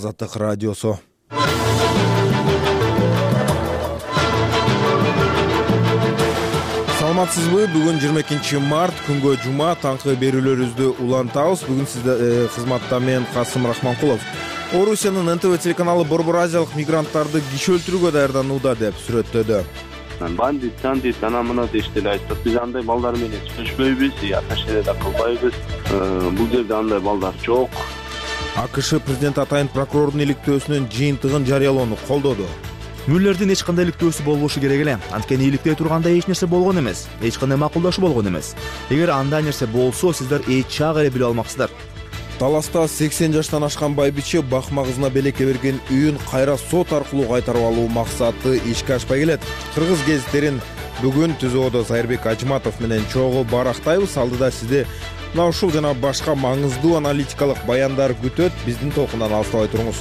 Азаттык радиосу. Саламатсызбы? Бүгүн 22 март, күнгө жума, таңкы берүүлөрүбүздү улантабыз. Бүгүн сизде кызматта мен Касым Рахманкулов. Орусиянын НТВ телеканалы Борбор Азиялык мигранттарды киши өлтүрүүгө даярданууда деп сүрөттөдү. Бандит, ана мына дешти эле айттык. Биз андай балдар менен сүйлөшпөйбүз, ташкере да кылбайбыз. Бул жерде андай балдар жок. АКШ президент атайын прокурордун иликтөөсүнүн жыйынтыгын жарыялоону колдоду. Мюллердин эч кандай иликтөөсү болбошу керек эле. Анткени иликтей турганда эч нерсе болгон эмес. Эч кандай макулдашуу болгон эмес. Эгер андай нерсе болсо, сиздер эч чак эле билип алмаксыздар. Таласта 80 жаштан ашкан байбиче бакма кызына белекке берген үйүн кайра сот аркылуу кайтарып алуу максаты ишке ашпай келет. Кыргыз гезиттерин бүгүн ТЗОдо Зайырбек Ажматов менен чогуу барактайбыз. Алдыда сизди мына ушул жана башка маңыздуу аналитикалык баяндар күтөт. Биздин толкундан алыстабай туруңуз.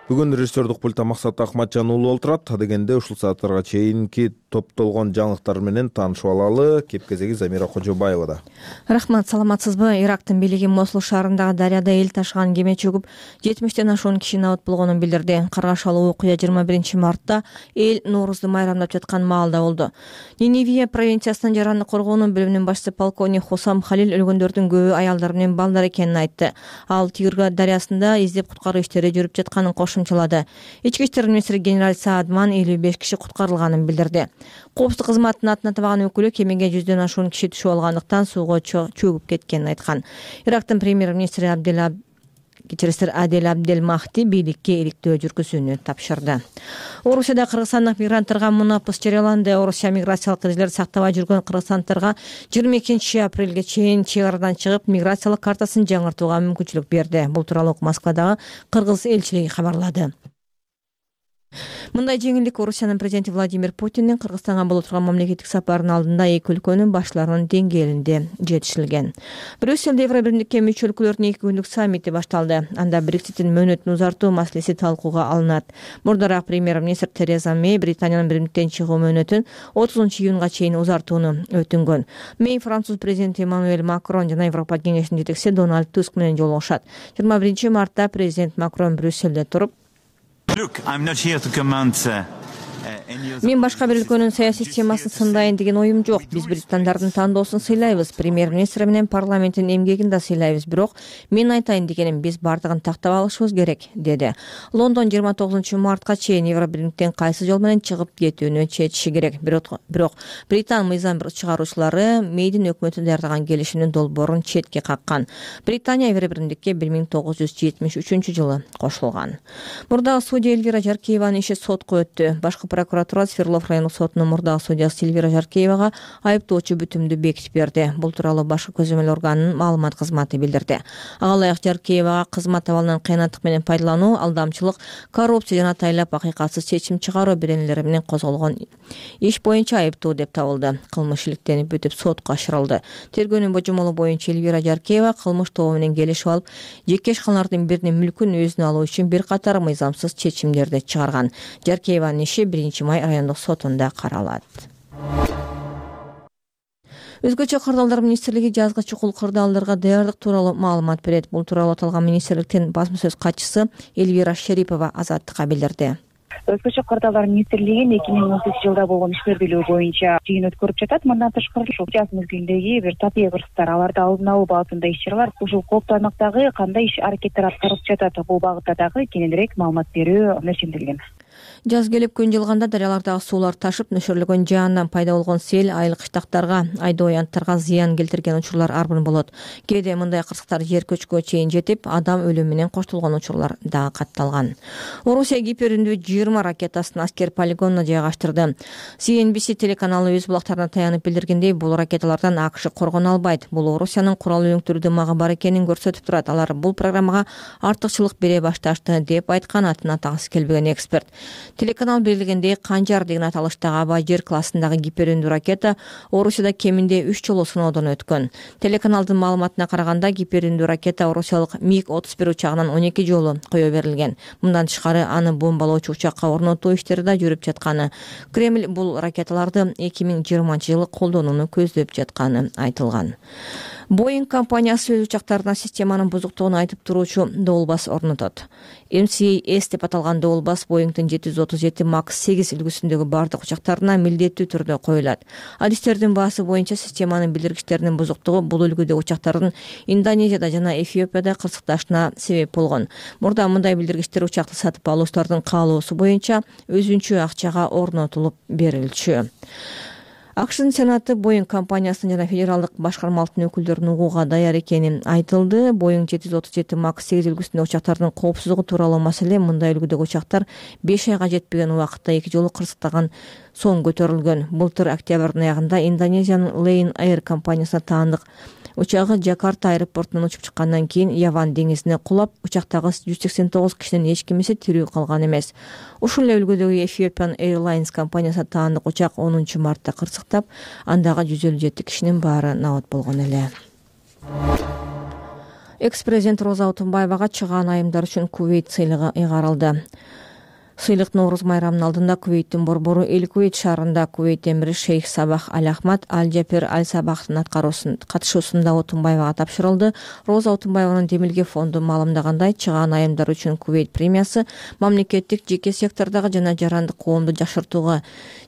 Бүгүн режиссердук пультта Максат Акматжан уулу олтурат. Адегенде ушул сааттарга чейинки топтолгон жаңылыктар менен таанышып алалы. Кеп-кезеги Замира Кожобаевада. Рахмат, саламатсызбы? Ирактын бийлиги Мосул шаарындагы дарыяда эл ташыган кеме чөгүп 70тен ашуун киши абат болгонун билдирди. Каргашалуу окуя 21 мартта эл Ноорузду майрамдап жаткан маалда болду. Ниневия провинциясынын жараны коргоонун бөлүмүнүн башчысы полковник Хусам Халил өлгөндөрдүн көбү аялдар менен балдар экенин айтты. Ал Тигрга дарыясында издеп куткаруу иштери жүрүп жатканын кошумчалады. Ички иштер министри генерал Саадман 55 киши куткарылганын билдирди. Коопсуздук кызматынын атын атабаган өкүлү кемеге 100дөн ашуун киши түшүп алгандыктан сууга чөгүп кеткенин айткан. Ирактын премьер-министри Адель Абдель Махди бийликке иликтөө жүргүзүүнү тапшырды. Орусияда кыргызстандык мигранттарга мунапыс жарыяланды. Орусия миграциялык эрежелерди сактабай жүргөн кыргызстандыктарга 22 апрелге чейин чек арадан чыгып, миграциялык картасын жаңыртууга мүмкүнчүлүк берди. Бул тууралуу Москвадагы кыргыз элчилиги кабарлады. Мындай жеңилдик Орусиянын президенти Владимир Путиндин Кыргызстанга боло турган мамлекеттик сапарынын алдында эки өлкөнүн башларынын деңгээлинде жетишилген. Брюсселде Евробиримдикке мүчө өлкөлөрдүн 2 күндүк саммити башталды. Анда Брекситтин мөөнөтүн узартуу маселеси талкууга алынат. Мурдараак премьер-министр Тереза Мэй Британиянын биримдиктен чыгуу мөөнөтүн 30-июнга чейин узартууну өтүнгөн. Мэй француз президенти Эммануэль Макрон жана Европа кеңешинин жетекчиси Дональд Туск менен жолугушат. 21 мартта президент Макрон Брюсселде туруп: Мен башка бир өлкөнүн саясий системасын сындайын деген оюм жок. Биз британдардын тандоосун сыйлайбыз, премьер-министр менен парламенттин эмгегин да сыйлайбыз. Бирок мен айтайын дегеним, биз бардыгын тактап алышыбыз керек, деди. Лондон 29 мартка чейин Евробиримдиктен кайсы жол менен чыгып кетүүнү чечиши керек. Бирок Британ мыйзам чыгаруучулары Мэйдин өкмөтү даярдаган келишимдин долбоорун четке каккан. Британия Евробиримдикке 1973-жылы кошулган. Мурдагы судья Эльвира Жаркееванын иши сотко өттү. Башкы прокуратура Свердлов райондук сотунун мурдагы судьясы Эльвира Жаркеевага айыптоочу бүтүмдү бекитип берди. Бул тууралуу башкы көзөмөл органынын маалымат кызматы билдирди. Ага ылайык Жаркеевага кызмат абалынан кыянаттык менен пайдалануу, алдамчылык, коррупция жана тайлап акыйкатсыз чечим чыгаруу беренелери менен козголгон иш боюнча айыптуу деп табылды. Кылмыш иликтенип бүтүп сотко ашырылды. Тергөөнүн божомолу боюнча Эльвира Жаркеева кылмыш тобу менен келишип алып, жеке ишканалардын биринин мүлкүн өзүнө алуу үчүн бир катар мыйзамсыз чечимдерди чыгарган. Жаркееванын иши 1-май райондук сотунда каралат. Өзгөчө кырдаалдар министрлиги жазгы чукул кырдаалдарга даярдык тууралуу маалымат берет. Бул тууралуу аталган министрликтин басма сөз катчысы Эльвира Шерипова Азаттыкка билдирди. Өзгөчө кырдаалдар министрлиги 2018-жылда болгон ишмердүүлүгү боюнча жыйын өткөрүп жатат. Мындан тышкары ушул жаз мезгилиндеги бир татыйа кырсыктар, аларды алдын алуу багытында иш-чаралар, ушул кооптуу аймактагы кандай иш-аракеттер аткарылып жатат, бул багытта дагы кененирээк маалымат берүү мерчимделген. Жаз келип күн жылганда дарыялардагы суулар ташып, нөшөрлөгөн жаандан пайда болгон сел айыл кыштактарга, айдоо аянттарга зыян келтирген учурлар арбын болот. Кээде мындай кырсыктар жер көчкүгө чейин жетип, адам өлүмү менен коштолгон учурлар дагы катталган. Орусия гиперүндүү 20 ракетасын аскер полигонуна жайгаштырды. CNBC телеканалы өз булактарына таянып билдиргендей, бул ракеталардан АКШ коргоно албайт. Бул Орусиянын курал үйүңктүрүү дымагы бар экенин көрсөтүп турат. Алар бул программага артыкчылык бере башташты деп айткан атын атагысы келбеген эксперт. Телеканал белгилегендей, Канжар деген аталыштагы Абажер классындагы гиперүндүү ракета Орусияда кеминде 3 жолу сыноодон өткөн. Телеканалдын маалыматына караганда, гиперүндүү ракета орусиялык МиГ-31 учагынан 12 жолу кое берилген. Мындан тышкары аны бомбалоочу учакка орнотуу иштери да жүрүп жатканы. Кремль бул ракеталарды 2020 жылы колдонууну көздөп жатканы айтылган. Boeing компаниясы өз учактарына системанын бузуктугун айтып туруучу доолбас орнотот. MCAS деп аталган доолбас Boeing'дин 737 MAX 8 үлгүсүндөгү бардык учактарына милдеттүү түрдө коюлат. Адистердин баасы боюнча системанын билдиргичтеринин бузуктугу бул үлгүдө учактардын Индонезияда жана Эфиопияда кырсыкташына себеп болгон. Мурда мындай билдиргичтер учакты сатып алуучулардын каалоосу боюнча өзүнчө акчага орнотулуп берилчү. АКШдын Сенаты Boeing компаниясынын жана федералдык башкармалыктын өкүлдөрүн угууга даяр экени айтылды. Boeing 737 MAX 8 үлгүсүндөгү учактардын коопсуздугу тууралуу маселе мындай үлгүдөгү учактар 5 айга жетпеген убакытта 2 жолу кырсыктаган соң көтөрүлгөн. Былтыр октябрдын аягында Индонезиянын Lion Air компаниясына таандык учагы Жакарта аэропортунан учуп чыккандан кийин Яван деңизине кулап, учактагы 189 кишинин эч кимиси тирүү калган эмес. Ушул эле үлгүдөгү Ethiopian Airlines компаниясына таандык учак 10 мартта кырсыктап, андагы 157 кишинин баары набат болгон эле. Экс-президент Роза Отунбаевага чыгаан айымдар үчүн Кувейт сыйлыгы ыйгарылды. Сыйлык Нооруз майрамынын алдында Кувейттин борбору Эль-Кувейт шаарында Кувейт эмири Шейх Сабах Аль-Ахмад Аль-Джапер Аль-Сабахтын катышуусунда Отунбаевага тапшырылды. Роза Отунбаеванын Демилге фонду маалымдагандай, чыгаан айымдар үчүн Кувейт премиясы мамлекеттик, жеке сектордогу жана жарандык коомду жакшыртууга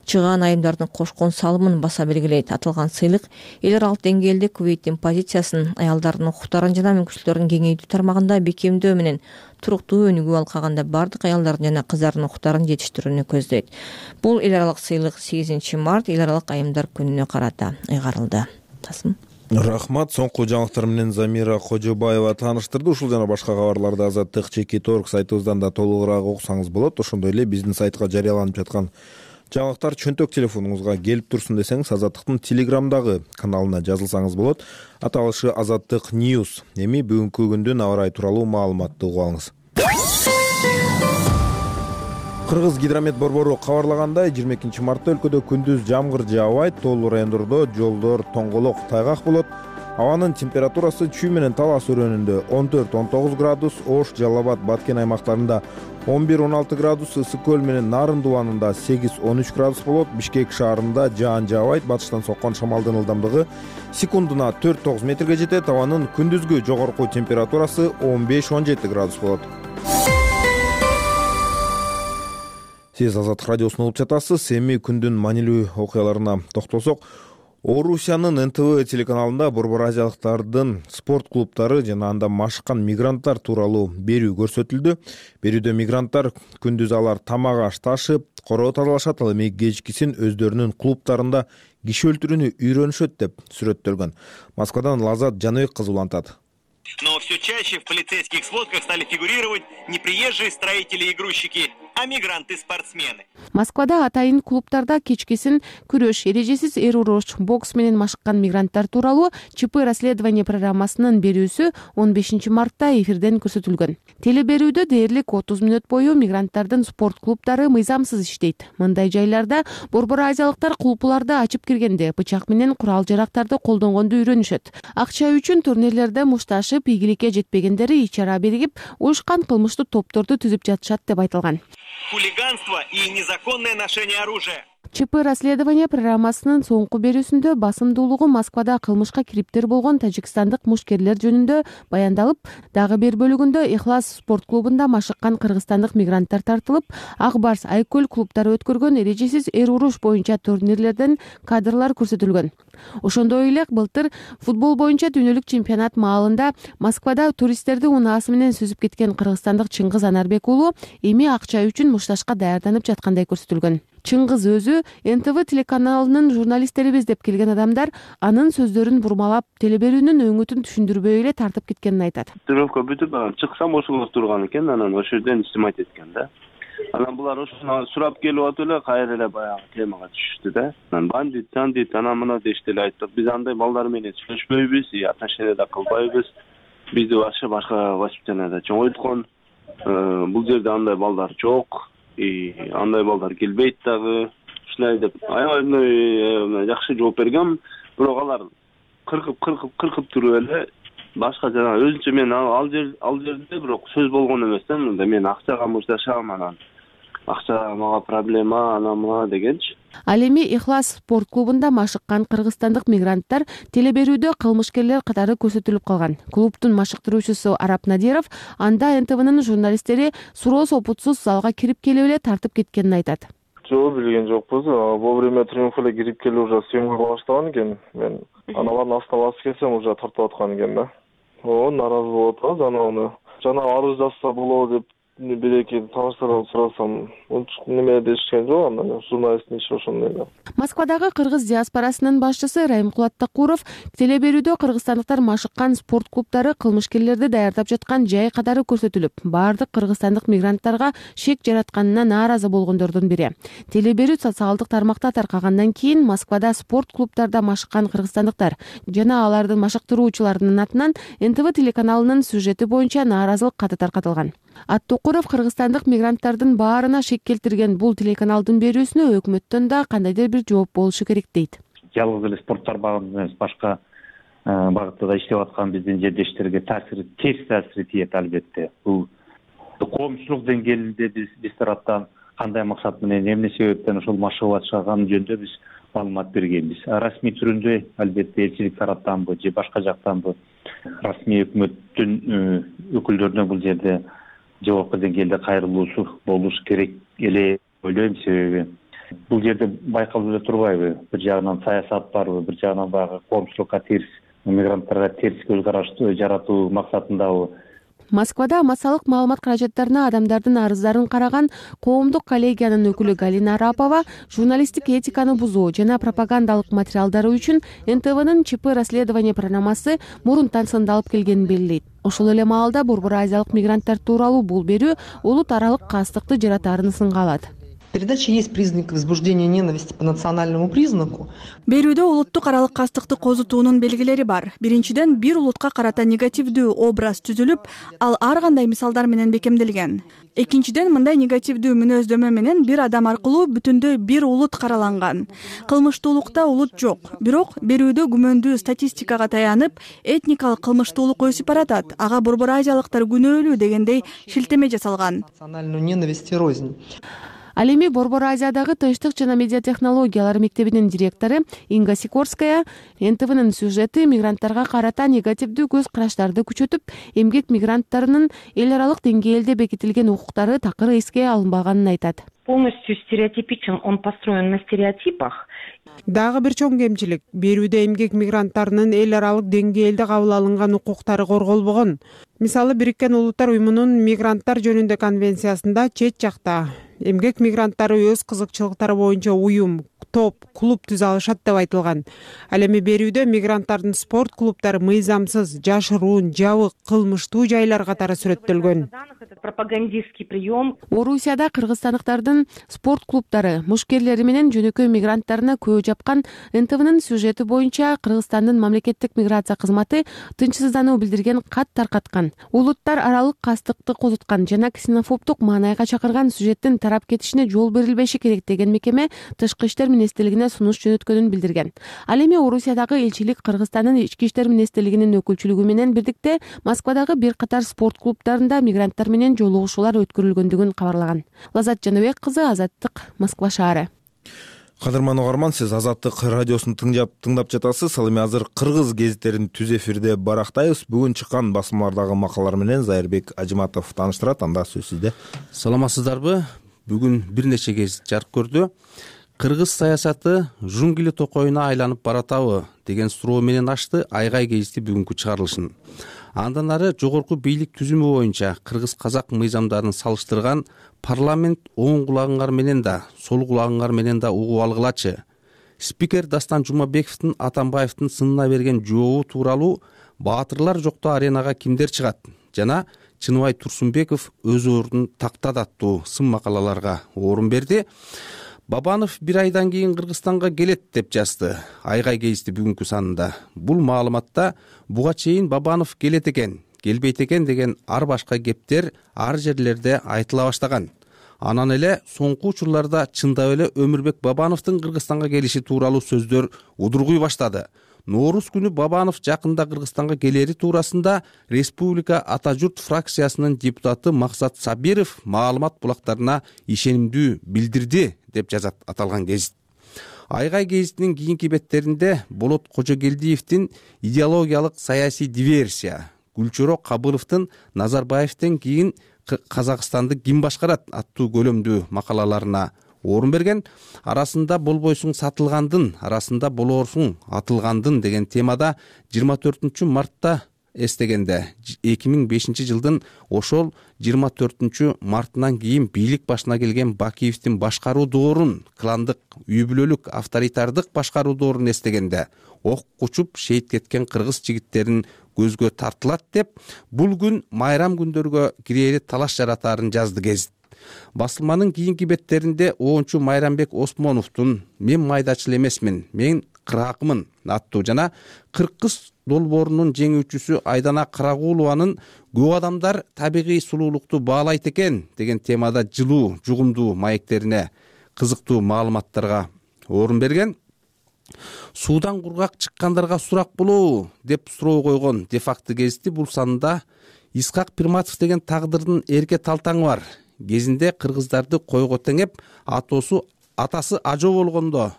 чыгаан айымдардын кошкон салымын баса белгилейт. Аталган сыйлык эл аралык деңгээлде Кувейттин позициясын, аялдардын укуктарын жана мүмкүнчүлүктөрүн кеңейтүү тармагында бекемдөө менен туруктуу өнүгүү алкаганда бардык аялдардын жана кыздардын укуктарын жетиштирүүнү көздөйт. Бул эл аралык сыйлык 8 март эл аралык айымдар күнүнө карата ыйгарылды. Рахмат. Соңку жаңылыктар менен Замира Кожобаева тааныштырды. Ушул жана башка кабарларды Азаттык ЧК.org сайтыбыздан да толугураак окусаңыз болот. Ошондой эле биздин сайтка жарыяланып жаткан жаңылыктар чөнтөк телефонуңузга келип турсун десеңиз, Азаттыктын Телеграмдагы каналына жазылсаңыз болот. Аталышы Азаттык News. Эми бүгүнкү күндүн аба ырайы тууралуу маалыматты угуп алыңыз. Кыргыз гидромет борбору кабарлагандай, 22 мартта өлкөдө күндүз жамгыр жаабайт, тоолуу райондордо жолдор тоңголок, тайгак болот. Абанын температурасы чүй менен талас өрөөнүндө 14-19 градус, Ош, Жалал Абад, Баткен аймактарында 11-16 градус, Ысык көл менен Нарын дубанында 8-13 градус болот. Бишкек шаарында жаан жаабайт, батыштан соккон шамалдын ылдамдыгы секундуна 4-9 метрге жетет. Абанын күндүзгү жогорку температурасы 15-17 градус болот. Сиз Азаттык радиосун угуп жатасыз. Эми күндүн маанилүү окуяларына токтолсок, Орусиянын НТВ телеканалында борбор азиялыктардын спорт клубтары жана анда машыккан мигранттар тууралуу берүү көрсөтүлдү. Берүүдө мигранттар күндүз алар тамак аш ташып, короо тазалашат, ал эми кечкисин өздөрүнүн клубтарында киши өлтүрүүнү үйрөнүшөт деп сүрөттөлгөн. Москвадан Лазат Жаныбек кызы улантат. Но все чаще в полицейских сводках стали фигурировать не приезжие строители и грузчики, а мигранты-спортсмены. Москвада атайын клубтарда кечкисин күрөш, эрежесиз эр уруш, бокс менен машыккан мигранттар тууралуу ЧП расследование программасынын берүүсү 15 мартта эфирден көрсөтүлгөн. Телеберүүдө дээрлик 30 мүнөт бою мигранттардын спорт клубтары мыйзамсыз иштейт. Мындай жайларда борбор азиялыктар клубуларды ачып киргенде бычак менен курал-жарактарды колдонгонду үйрөнүшөт. Акча үчүн турнирлерде мушташып, ийгиликке жетпегендери ичара бергип, уюшкан кылмыштуу топторду түзүп жатышат деп айтылган. Хулиганство и незаконное ношение оружия. ЧП расследование программасынын соңку берүүсүндө басымдуулугу Москвада кылмышка кириптер болгон тажикстандык мушкерлер жөнүндө баяндалып, дагы бир бөлүгүндө Ихлас спорт клубунда машыккан кыргызстандык мигранттар тартылып, Ак Барс, Айкөл клубтары өткөргөн эрежесиз эр уруш боюнча турнирлерден кадрлар көрсөтүлгөн. Ошондой эле былтыр футбол боюнча дүйнөлүк чемпионат маалында Москвада туристтерди унаасы менен сүзүп кеткен кыргызстандык Чыңгыз Анарбек уулу эми акча үчүн мушташка даярданып жаткандай көрсөтүлгөн. Чыңгыз өзү НТВ телеканалынын журналисттерибиз деп келген адамдар анын сөздөрүн бурмалап, телеберүүнүн өңүтүн түшүндүрбөй эле тартып кеткенин айтат. Тренировка бүтүп, чыксам ошого турган экен, анан ошол жерден снимать эткен да. Анан булар ошону сурап келип атып эле кайра эле баягы темага түшүштү да. Анан бандит, анан мына дешти эле айттык. Биз андай балдар менен сүйлөшпөйбүз, отношения да кылбайбыз. Бизди башка воспитанияда чоңойткон. Бул жерде андай балдар жок. Андай балдар келбейт дагы. Ушундай деп аябай жакшы жооп бергем. Бирок алар кыркып туруп эле башка жана өзүнчө мен ал жерде бирок сөз болгон эмес да. Мен акчага мушташам, анан акча мага проблема, анан мына дегенчи. Ал эми Ихлас спорт клубунда машыккан кыргызстандык мигранттар телеберүүдө кылмышкерлер катары көрсөтүлүп калган. Клубдун машыктыруучусу Арап Надиров анда НТВнын журналисттери суроо сопутсуз залга кирип келип эле тартып кеткенин айтат. Жок, билген жокпуз. Во время триумфа эле кирип келип уже съемкага баштаган экен. Мен аналардын астына басып келсем уже тартып аткан экен да. Нааразы болуп атабыз. Аны жана арыз жазса болобу деп бир-эки тааныштардан сурасам, неме дешкен жок, андан журналисттин иши ошондой да. Москвадагы кыргыз диаспорасынын башчысы Райымкулат Такуров телеберүүдө кыргызстандыктар машыккан спорт клубдары кылмышкерлерди даярдап жаткан жай катары көрсөтүлүп, баардык кыргызстандык мигранттарга шек жаратканына нааразы болгондордун бири. Телеберүү социалдык тармакта таркагандан кийин Москвада спорт клубдарда машыккан кыргызстандыктар жана алардын машыктыруучуларынын атынан НТВ телеканалынын сюжети боюнча нааразылык каты таркатылган. Аттокуров кыргызстандык мигранттардын баарына шек келтирген бул телеканалдын берүүсүнө өкмөттөн да кандайдыр бир жооп болушу керек дейт. Жалгыз эле спорт тармагында эмес, башка багытта да иштеп аткан биздин жердештерге терс таасири тиет албетте. Бул коомчулук деңгээлинде биз тараптан кандай максат менен, эмне себептен ошол машыгып атышканы жөнүндө биз маалымат бергенбиз. Расмий түрүндө албетте элчилик тараптанбы же башка жактанбы расмий өкмөттүн өкүлдөрүнө бул жерде жогорку деңгээлде кайрылуусу болуш керек эле ойлойм. Себеби бул жерде байкалып эле турбайбы? Бир жагынан саясат барбы, бир жагынан баягы коомчулукка терс, мигранттарга терс көз караш жаратуу максатындабы? Москвада массалык маалымат каражаттарына адамдардын арыздарын караган коомдук коллегиянын өкүлү Галина Арапова журналисттик этиканы бузуу жана пропагандалык материалдары үчүн НТВнын ЧП расследование программасы мурунтан сындалып келгенин белгилейт. Ошол эле маалда Борбор Азиялык мигранттар тууралуу бул берүү улут аралык кастыкты жаратаарын сынга алат. Передача есть признак возбуждения ненависти по национальному признаку. Берүүдө улуттук аралык кастыкты козутуунун белгилери бар. Биринчиден, бир улутка карата негативдүү образ түзүлүп, ал ар кандай мисалдар менен бекемделген. Экинчиден, мындай негативдүү мүнөздөмө менен бир адам аркылуу бүтүндөй бир улут караланган. Кылмыштуулукта улут жок, бирок берүүдө күмөндүү статистикага таянып, этникалык кылмыштуулук өсүп баратат. Ага Борбор Азиялыктар күнөөлүү дегендей шилтеме жасалган. Национальную ненависть и рознь. Ал эми Борбор Азиядагы тынчтык жана медиа технологиялар мектебинин директору Инга Сикорская НТВнын сюжети мигранттарга карата негативдүү көз караштарды күчөтүп, эмгек мигранттарынын эл аралык деңгээлде бекитилген укуктары такыр эске алынбаганын айтат. Полностью стереотипичен, он построен на стереотипах. Дагы бир чоң кемчилик, берүүдө эмгек мигранттарынын эл аралык деңгээлде кабыл алынган укуктары корголбогон. Мисалы, Бириккен Улуттар Уюмунун мигранттар жөнүндө конвенциясында чет жакта эмгек мигранттары өз кызыкчылыктары боюнча уюм, топ, клуб түзө алышат деп айтылган. Ал эми берүүдө мигранттардын спорт клубдары мыйзамсыз, жашыруун, жабык, кылмыштуу жайлар катары сүрөттөлгөн. Пропагандистский прием. Орусияда кыргызстандыктардын спорт клубдары мушкерлери менен жөнөкөй мигранттарына көө жапкан НТВнын сюжети боюнча Кыргызстандын мамлекеттик миграция кызматы тынчсыздануу билдирген кат таркаткан. Улуттар аралык кастыкты козуткан жана ксенофобдук маанайга чакырган сюжеттин тарап кетишине жол берилбеши керек деген мекеме Тышкы иштер министрлигине сунуш жөнөткөнүн билдирген. Ал эми Орусиядагы элчилик Кыргызстандын ички иштер министрлигинин өкүлчүлүгү менен бирдикте Москвадагы бир катар спорт клубдарында мигранттар менен жолугушуулар өткөрүлгөндүгүн кабарлаган. Лазат Жаныбек кызы, Азаттык, Москва шаары. Кадырман угарман, сиз Азаттык радиосун тыңдап жатасыз. Ал эми азыр кыргыз гезиттерин түз эфирде барактайбыз. Бүгүн чыккан басмалардагы макалалар менен Зайырбек Ажыматов тааныштырат. Анда сөз сизде. Саламатсыздарбы? Бүгүн бир нече гезит жарык көрдү. Кыргыз саясаты жунгли токоюна айланып баратабы деген суроо менен ачты Айгай гезити бүгүнкү чыгарылышын. Андан ары жогорку бийлик түзүмү боюнча кыргыз казак мыйзамдарын салыштырган парламент оң кулагыңар менен да, сол кулагыңар менен да угуп алгылачы. Спикер Дастан Жумабековдун Атамбаевдин сынына берген жообу тууралуу баатырлар жоктоо аренага кимдер чыгат жана Чыныбай Турсунбеков өз ордун тактат аттуу сын макалаларга орун берди. Бабанов бир айдан кийин Кыргызстанга келет деп жазды Айгай гезити бүгүнкү санында. Бул маалыматта буга чейин Бабанов келет экен, келбейт экен деген ар башка кептер ар жерлерде айтыла баштаган. Анан эле соңку учурларда чындап эле Өмүрбек Бабановдун Кыргызстанга келиши тууралуу сөздөр удургуй баштады. Нооруз күнү Бабанов жакында Кыргызстанга келери туурасында Республика Ата журт фракциясынын депутаты Максат Сабиров маалымат булактарына ишенимдүү билдирди деп жазат аталган гезит. Айгай гезитинин кийинки беттеринде Болот Кожогелдиевдин идеологиялык саясий диверсия, Гүлчөрө Кабыловдун Назарбаевден кийин Казакстанды ким башкарат аттуу көлөмдүү макалаларына орун берген. Арасында болбойсуң сатылгандын, арасында болорсуң атылгандын деген темада 24 мартта эстегенде 2005 жылдын ошол 24 мартынан кийин бийлик башына келген Бакиевдин башкаруу доорун, кландык, үй бүлөлүк, авторитардык башкаруу доорун эстегенде ок кучуп шейит кеткен кыргыз жигиттерин көзгө тартылат деп бул күн майрам күндөргө кирээри талаш жаратаарын жазды гезит. Басылманын кийинки беттеринде оончу Майрамбек Осмоновдун «Мен майдачыл эмесмин, мен кыракмын» аттуу жана Кыргыз долбоорунун жеңүүчүсү Айдана Карагулованын «Көп адамдар табигый сулуулукту баалайт экен» деген темада жылуу, жугумдуу маектерине кызыктуу маалыматтарга орун берген. Суудан кургак чыккандарга сурак болобу деп суроо койгон Де-факто гезити бул санында Исхак Пирматов деген тагдырдын эрке талтаңы бар. Кезинде кыргыздарды койго теңеп, атасы ажоо болгондо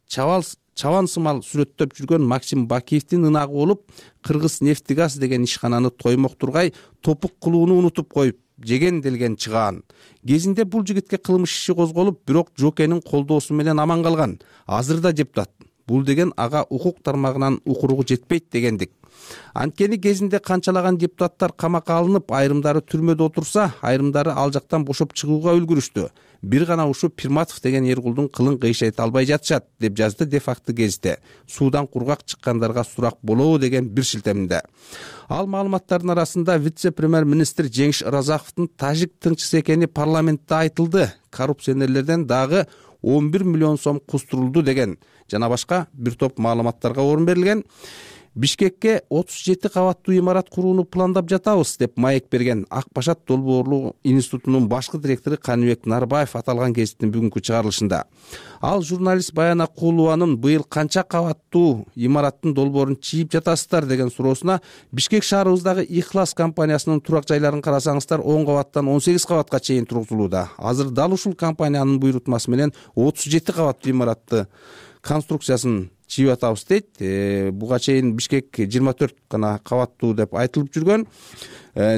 чабан сымал сүрөттөп жүргөн Максим Бакиевдин ынагы болуп, Кыргыз нефтигаз деген ишкананы тоймоктургай топук кылууну унутуп коюп жеген делген чыгаан. Кезинде бул жигитке кылмыш иши козголуп, бирок Жокенин колдоосу менен аман калган. Азыр да депутат. Бул деген ага укук тармагынан укуругу жетпейт дегендик. Анткени кезинде канчалаган депутаттар камакка алынып, айрымдары түрмөдө отурса, айрымдары ал жактан бошоп чыгууга үлгүрүштү. Бир гана ушу Пирматов деген Эргулдун кылын кыйшайта албай жатышат деп жазды Де-факто гезити. Суудан кургак чыккандарга сурак болобу деген бир шилтеминде. Ал маалыматтардын арасында вице-премьер-министр Жеңиш Ыразаковдун тажик тыңчысы экени парламентте айтылды. Коррупционерлерден дагы 11 миллион сом кустурулду деген жана башка бир топ маалыматтарга орун берилген. Бишкекке 37 кабаттуу имарат курууну пландап жатабыз деп маек берген Ак Башат долбоорлуу институтунун башкы директору Каныбек Нарбаев аталган гезиттин бүгүнкү чыгарылышында. Ал журналист Баян Акулованын быйыл канча кабаттуу имараттын долбоорун чийип жатасыздар деген суроосуна Бишкек шаарыбыздагы Ихлас компаниясынын турак жайларын карасаңыздар 10 кабаттан 18 кабатка чейин тургузулууда. Азыр дал ушул компаниянын буйрутмасы менен 37 кабаттуу имаратты конструкциясын чийип атабыз дейт. Буга чейин Бишкек 24 гана кабаттуу деп айтылып жүргөн.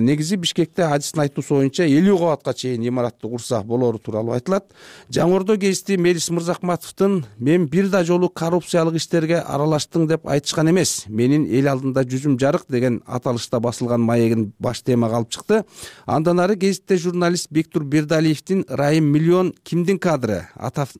Негизи Бишкекте адистин айтуусу боюнча 50 кабатка чейин имаратты курса болору тууралуу айтылат. Жаңордо гезити Мелис Мырзахматовдун «Мен бир да жолу коррупциялык иштерге аралаштым» деп айтышкан эмес. «Менин эл алдында жүзүм жарык» деген аталышта басылган маегин баш темага алып чыкты. Андан ары гезитте журналист Бектур Бердалиевдин «Райым миллион кимдин кадры?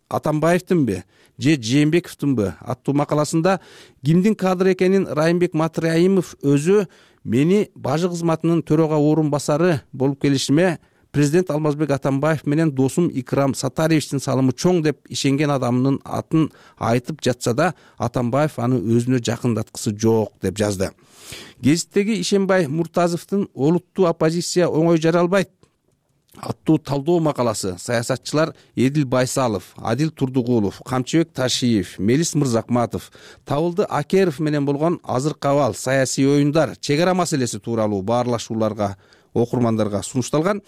Атамбаевдинби же Жээнбековдунбу?» аттуу макаласында кимдин кадры экенин Райымбек Матраимов өзү мени бажы кызматынын төрага орун басары болуп келишиме президент Алмазбек Атамбаев менен досум Икрам Сатариевичтин салымы чоң деп ишенген адамынын атын айтып жатса да, Атамбаев аны өзүнө жакындаткысы жок деп жазды. Гезиттеги Ишенбай Муртазовдун «Олуттуу оппозиция оңой жаралбайт» аттуу талдоо макаласы саясатчылар Эдил Байсалов, Адил Турдугулов, Камчыбек Ташиев, Мелис Мырзахматов, Табылды Акеров менен болгон азыркы абал, саясий оюндар, чек ара маселеси тууралуу баарлашууларга окурмандарга сунушталган.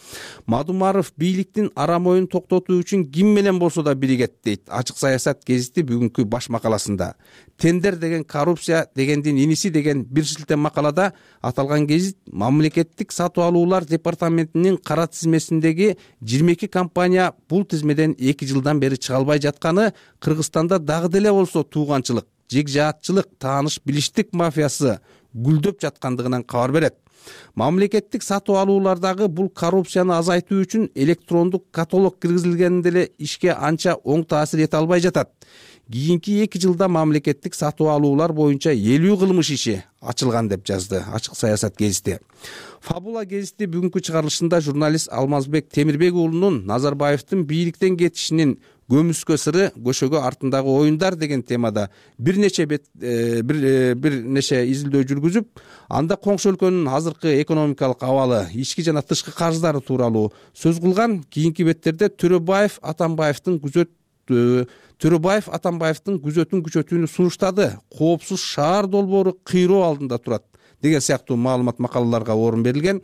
Мадумаров бийликтин арам оюн токтотуу үчүн ким менен болсо да биригет дейт Ачык саясат гезити бүгүнкү баш макаласында. Тендер деген коррупция дегендин иниси деген бир шилтем макалада аталган гезит мамлекеттик сатып алуулар департаментинин кара тизмесиндеги 22 компания бул тизмеден 2 жылдан бери чыга албай жатканы Кыргызстанда дагы деле болсо тууганчылык, жекжаатчылык, тааныш билиштик мафиясы гүлдөп жаткандыгынан кабар берет. Мамлекеттик сатып алуулардагы бул коррупцияны азайтуу үчүн электрондук каталог киргизилгенде деле ишке анча оң таасир эте албай жатат. Кийинки 2 жылда мамлекеттик сатып алуулар боюнча 50 кылмыш иши ачылган деп жазды Ачык саясат гезити. Фабула гезити бүгүнкү чыгарылышында журналист Алмазбек Темирбек уулунун Назарбаевдин бийликтен кетишинин көмүскө сыры көшөгө артындагы оюндар деген темада бир нече изилдөө жүргүзүп, анда коңшу өлкөнүн азыркы экономикалык абалы, ички жана тышкы карыздары тууралуу сөз кылган. Кийинки беттерде Төрөбаев Атамбаевдин күзөтүн күчөтүүнү сунуштады. Коопсуз шаар долбоору кыйроо алдында турат деген сыяктуу маалымат макалаларга орун берилген.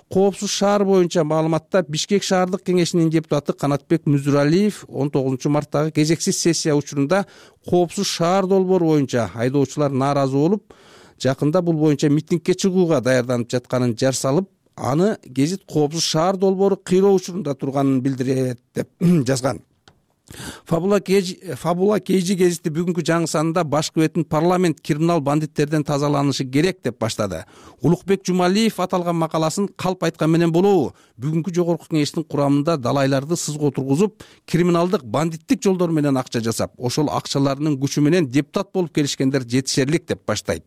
Коопсуз шаар боюнча маалыматта Бишкек шаардык кеңешинин депутаты Канатбек Мүзүралиев 19 марттагы кезексиз сессия учурунда коопсуз шаар долбоору боюнча айдоочулар нааразы болуп, жакында бул боюнча митингге чыгууга даярданып жатканын жар салып, аны гезит коопсуз шаар долбоору кыйроо учурунда турганын билдирет деп жазган. Фабула Кейжи гезити бүгүнкү жаңы санында башкы бетин парламент криминал бандиттерден тазаланышы керек деп баштады. Улукбек Жумалиев аталган макаласын калп айткан менен болобу, бүгүнкү жогорку кеңештин курамында далайларды сызга отургузуп, криминалдык бандиттик жолдор менен акча жасап, ошол акчаларынын күчү менен депутат болуп келишкендер жетишерлик деп баштайт.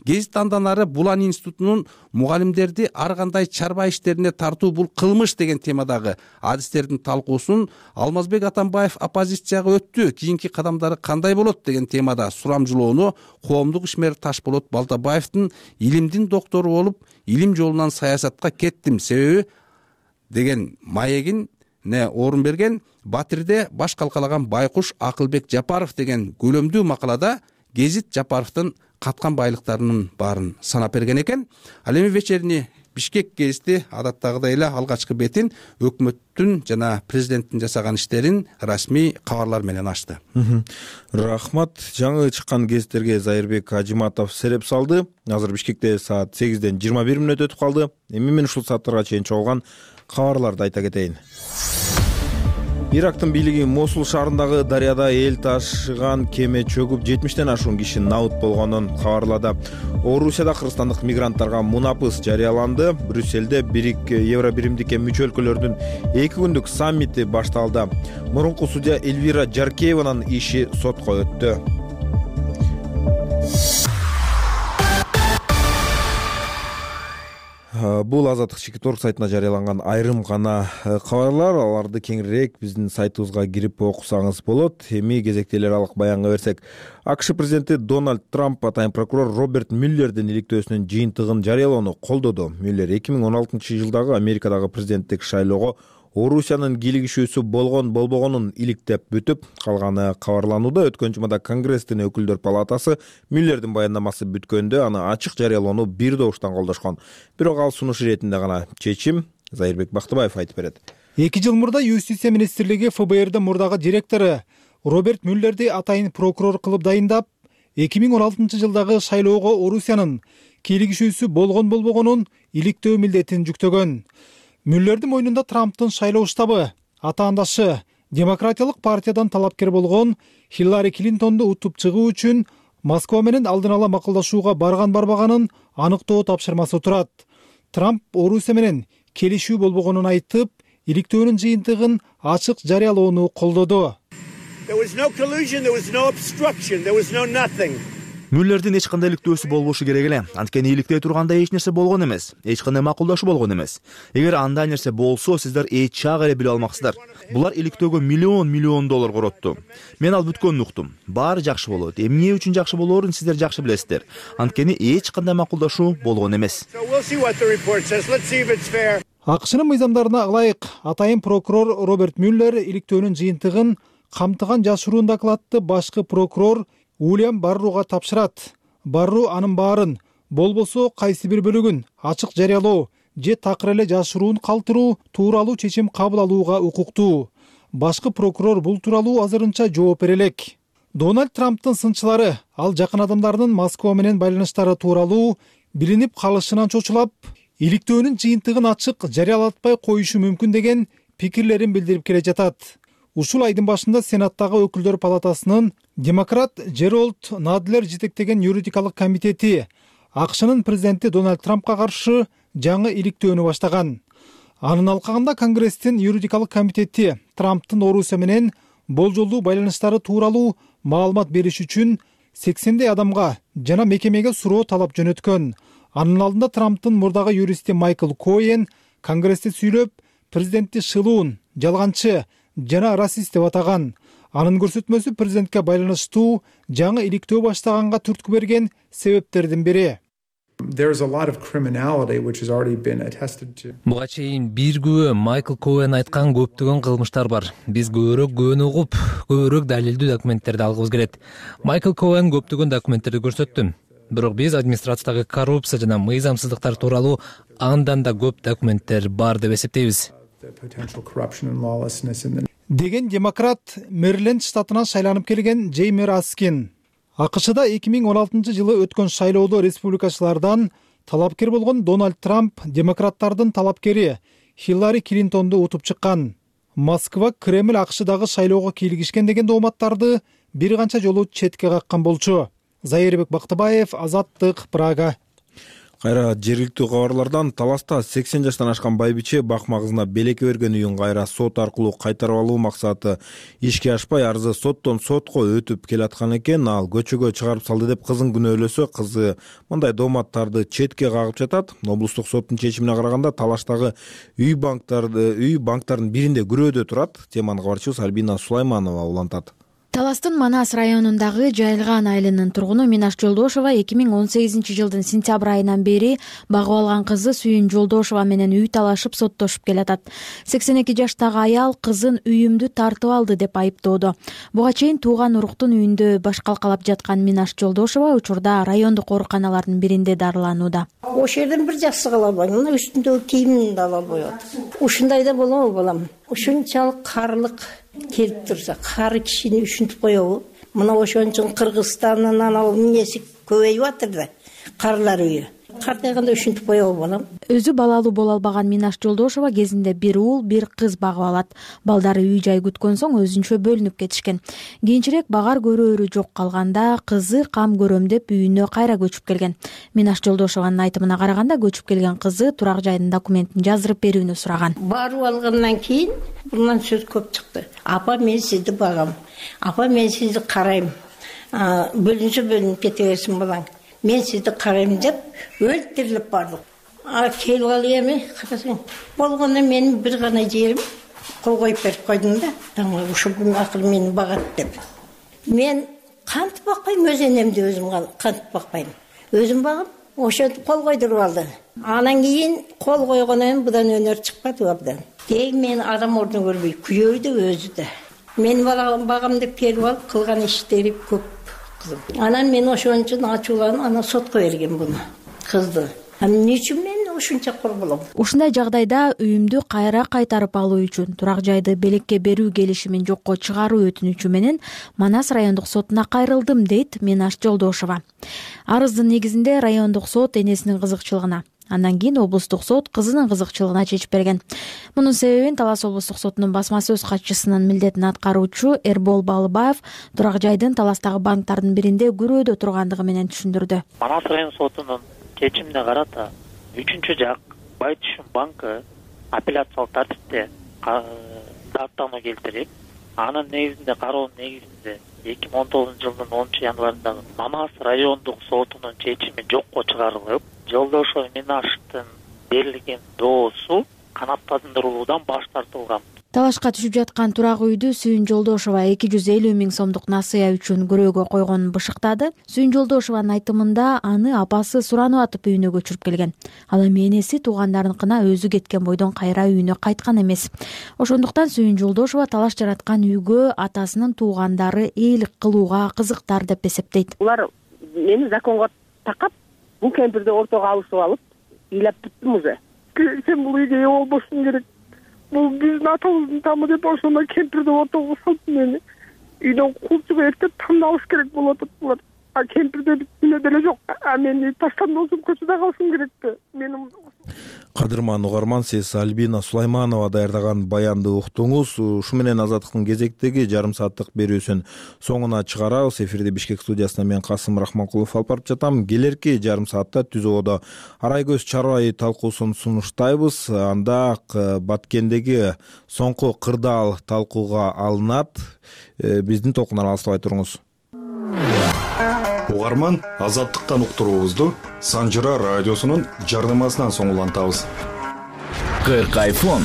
Гезит андан ары Булан институтунун мугалимдерди ар кандай чарба иштерине тартуу бул кылмыш деген темадагы адистердин талкуусун Алмазбек Атамбаев оппозицияга өттү, кийинки кадамдары кандай болот деген темада сурамжылоону коомдук ишмер Ташболот Балтабаевдин илимдин доктору болуп, илим жолунан саясатка кеттим себеби деген маегине орун берген. Батирде баш калкалаган байкуш Акылбек Жапаров деген көлөмдүү макалада гезит Жапаровдун каткан байлыктарынын баарын санап берген экен. Ал эми вечерний Бишкек гезити адаттагыдай эле алгачкы бетин өкмөттүн жана президенттин жасаган иштерин расмий кабарлар менен ачты. Рахмат. Жаңы чыккан гезиттерге Зайырбек Ажиматов сереп салды. Азыр Бишкекте саат 8ден 21 мүнөт өтүп калды. Эми мен ушул сааттарга чейин чогулган кабарларды айта кетейин. Ирактын бийлиги Мосул шаарындагы дарыяда эл ташыган кеме чөгүп 70тен ашуун киши набыт болгонун кабарлады. Орусияда кыргызстандык мигранттарга мунапыс жарыяланды. Брюссельде Евробиримдикке мүчө өлкөлөрдүн 2 күндүк саммити башталды. Мурунку судья Эльвира Жаркееванын иши сотко өттү. Бул Азаттык Чекиторг сайтына жарыяланган айрым гана кабарлар. Аларды кеңирээк биздин сайтыбызга кирип окусаңыз болот. Эми кезекте эл аралык баянга берсек, АКШ президенти Дональд Трамп атайын прокурор Роберт Мюллердин иликтөөсүнүн жыйынтыгын жарыялоону колдоду. Мюллер 2016 жылдагы Америкадагы президенттик шайлоого Орусиянын кийлигишүүсү болгон болбогонун иликтеп бүтүп калганы кабарланууда. Өткөн жумада Конгресстин өкүлдөр палатасы Мюллердин баяндамасы бүткөндө аны ачык жарыялоону бир добуштан колдошкон. Бирок ал сунуш иретинде гана чечим Зайырбек Бактыбаев айтып берет. 2 жыл мурда Юстиция министрлиги ФБРдин мурдагы директору Роберт Мюллерди атайын прокурор кылып дайындап, 2016 жылдагы шайлоого Орусиянын кийлигишүүсү болгон болбогонун иликтөө милдетин жүктөгөн. Мюллердин мойнунда Трамптын шайлоо штабы атаандашы Демократиялык партиядан талапкер болгон Хиллари Клинтонду утуп чыгуу үчүн Москва менен алдын ала макулдашууга барган-барбаганын аныктоо тапшырмасы турат. Трамп Орусия менен келишүү болбогонун айтып, иликтөөнүн жыйынтыгын ачык жарыялоону колдоду. Мюллердин эч кандай иликтөөсү болбошу керек эле. Анткени иликтей турганда эч нерсе болгон эмес, эч кандай макулдашуу болгон эмес. Эгер андай нерсе болсо, сиздер эч чак эле биле алмаксыздар. Булар иликтөөгө миллион доллар коротту. Мен ал бүткөнүн уктум. Баары жакшы болот. Эмне үчүн жакшы болоорун сиздер жакшы билесиздер. Анткени эч кандай макулдашуу болгон эмес. АКШнын мыйзамдарына ылайык атайын прокурор Роберт Мюллер иликтөөнүн жыйынтыгын камтыган жашыруун докладты башкы прокурор Уильям Барруга тапшырат. Барру анын баарын, болбосо кайсы бир бөлүгүн ачык жарыялоо же такыр эле жашыруун калтыруу тууралуу чечим кабыл алууга укуктуу. Башкы прокурор бул тууралуу азырынча жооп бере элек. Дональд Трамптын сынчылары ал жакын адамдарынын Москва менен байланыштары тууралуу билинип калышынан чочулап, иликтөөнүн жыйынтыгын ачык жарыялатпай коюшу мүмкүн деген пикирлерин билдирип келе жатат. Ушул айдын башында Сенаттагы өкүлдөр палатасынын демократ Джеральд Надлер жетектеген юридикалык комитети АКШнын президенти Дональд Трампка каршы жаңы иликтөөнү баштаган. Анын алкагында Конгресстин юридикалык комитети Трамптын Орусия менен болжолдуу байланыштары тууралуу маалымат бериш үчүн 80 адамга жана мекемеге суроо талап жөнөткөн. Анын алдында Трамптын мурдагы юристи Майкл Коэн Конгрессте сүйлөп, президентти шылуун, жалганчы жана расист деп атаган. Анын көрсөтмөсү президентке байланыштуу жаңы иликтөө баштаганга түрткү берген себептердин бири. Буга чейин бир күбө Майкл Коэн айткан көптөгөн кылмыштар бар. Биз көбүрөөк күбөнү угуп, көбүрөөк далилдүү документтерди алгыбыз келет. Майкл Коэн көптөгөн документтерди көрсөттү. бирок биз администрациядагы коррупция жана мыйзамсыздыктар тууралуу андан да көп документтер бар деп эсептейбиз, деген демократ Мэриленд штатынан шайланып келген Джейми Раскин. АКШда 2016-жылы өткөн шайлоодо республикачылардан талапкер болгон Дональд Трамп демократтардын талапкери Хиллари Клинтонду утуп чыккан. Москва Кремль АКШдагы шайлоого кийлигишкен деген дооматтарды бир канча жолу четке каккан болчу. Зайырбек Бактыбаев, Азаттык, Прага. Кайра жергиликтүү кабарлардан Таласта 80 жаштан ашкан байбиче бакмагызына белекке берген үйүн кайра сот аркылуу кайтарып алуу максаты ишке ашпай арызы соттон сотко өтүп келаткан экен. Ал көчөгө чыгарып салды деп кызын күнөөлөсө, кызы мындай дооматтарды четке кагып жатат. Облустук соттун чечимине караганда Талаштагы үй банктардын биринде күрөөдө турат. Теманы кабарчыбыз Альбина Сулайманова улантат. Таластын Манас районундагы Жайылган айылынын тургуну Минаш Жолдошова 2018-жылдын сентябрь айынан бери багып алган кызы Сүйүн Жолдошова менен үй талашып соттошуп келатат. 82 жаштагы аял кызын үйүмдү тартып алды деп айыптоодо. Буга чейин тууган уруктун үйүндө баш калкалап жаткан Минаш Жолдошова учурда райондук ооруканалардын биринде дарыланууда. Ошол жерден бир жакшы кыла албайм. Мына үстүндөгү кийимин да ала албай атат. Ушундай да болобу балам? Ушунчалык карлык келип турса, кары кишини үшүнтүп коебу? Мына ошон үчүн Кыргызстандын анал эмнеси көбөйүп атыр да, карлар үйү. Картайганда үшүнтүп коебу балам? Өзү балалуу боло албаган Минаш Жолдошова кезинде бир уул, бир кыз багып алат. Балдары үй жай күткөн соң өзүнчө бөлүнүп кетишкен. Кийинчерээк багар көрөөрү жок калганда кызы кам көрөм деп үйүнө кайра көчүп келген. Минаш Жолдошованын айтымына караганда көчүп келген кызы турак жайдын документин жаздырып берүүнү сураган. Барып алгандан кийин мындан сөз көп чыкты. Апа, мен сизди багам. Апа, мен сизди карайм. Бөлүнүп кете берсин балаң. Мен сизди карайм деп өлтүрүлүп бардык. Келип алып эми карасаң, болгондо менин бир гана жерим кол коюп берип койдум да. Ушул акыл мени багат деп. Мен кантип бакпайм, өз энемди өзүм кантип бакпайм. Өзүм багам, ошентип кол койдуруп алды. Анан кийин кол койгондон будан өнөр чыкпады абдан. Деги мен адам ордун көрбөй, күйөөбү да өзү да. Мен багам деп келип алып кылган иштери көп. Анан мен ошон үчүн ачууланып, ана сотко берген буну, кызды. Эмне үчүн мен ушунча корголом? Ушундай жагдайда үйүмдү кайра кайтарып алуу үчүн турак жайды белекке берүү келишимин жокко чыгаруу өтүнүчү менен Манас райондук сотуна кайрылдым, дейт Минаш Жолдошова. Арыздын негизинде райондук сот энесинин кызыкчылыгына, андан кийин облустук сот кызынын кызыкчылыгына чечип берген. Мунун себебин Талас облустук сотунун басма сөз катчысынын милдетин аткаруучу Эрбол Балыбаев турак жайдын Таластагы банктардын биринде күрөөдө тургандыгы менен түшүндүрдү. Манас район сотунун чечимине карата 3-чү жак Байтүшүн банкы апелляциялык тартипте даттануу келтирип, анын негизинде кароонун негизинде 2019-жылдын 10-январындагы Манас райондук сотунун чечими жокко чыгарылып, Жолдошова Минаштын берилген доосу канааттандырылуудан баш тартылган. Талашка түшүп жаткан турак үйдү Сүйүн Жолдошова 250 000 сомдук насыя үчүн күрөөгө койгонун бышыктады. Сүйүн Жолдошованын айтымында аны апасы суранып атып үйүнө көчүрүп келген. Ал эми энеси туугандарыныкына өзү кеткен бойдон кайра үйүнө кайткан эмес. Ошондуктан Сүйүн Жолдошова талаш жараткан үйгө атасынын туугандары ээлик кылууга кызыктар деп эсептейт. Булар мени законго такап, бул кемпирди ортого алышып алып, ыйлап бүттүм уже. Сен бул үйгө болбошуң керек. Бул биздин атабыздын тамы деп ошондо кемпирди ортого салып мени үйдөн кууп чыгып эртеп тандалыш керек болуп атат булар. Кемпирде биз деле жок. Мени таштандырып көчөдө калышым керекпи? Менин Кадырман угарман, сиз Альбина Сулайманова даярдаган баянды уктуңуз. Ушу менен Азаттыктын кезектеги жарым сааттык берүүсүн соңуна чыгарабыз. Эфирди Бишкек студиясынан мен Касым Рахманкулов алып барып жатам. Келерки жарым саатта ТүЗОдо арай көз чарба айы талкуусун сунуштайбыз. Анда Баткендеги соңку кырдаал талкууга алынат. Биздин толкундан алыстабай туруңуз. Угарман, Азаттыктан уктуруубузду Санжыра радиосунун жардамасынан соң улантабыз. 40 iPhone,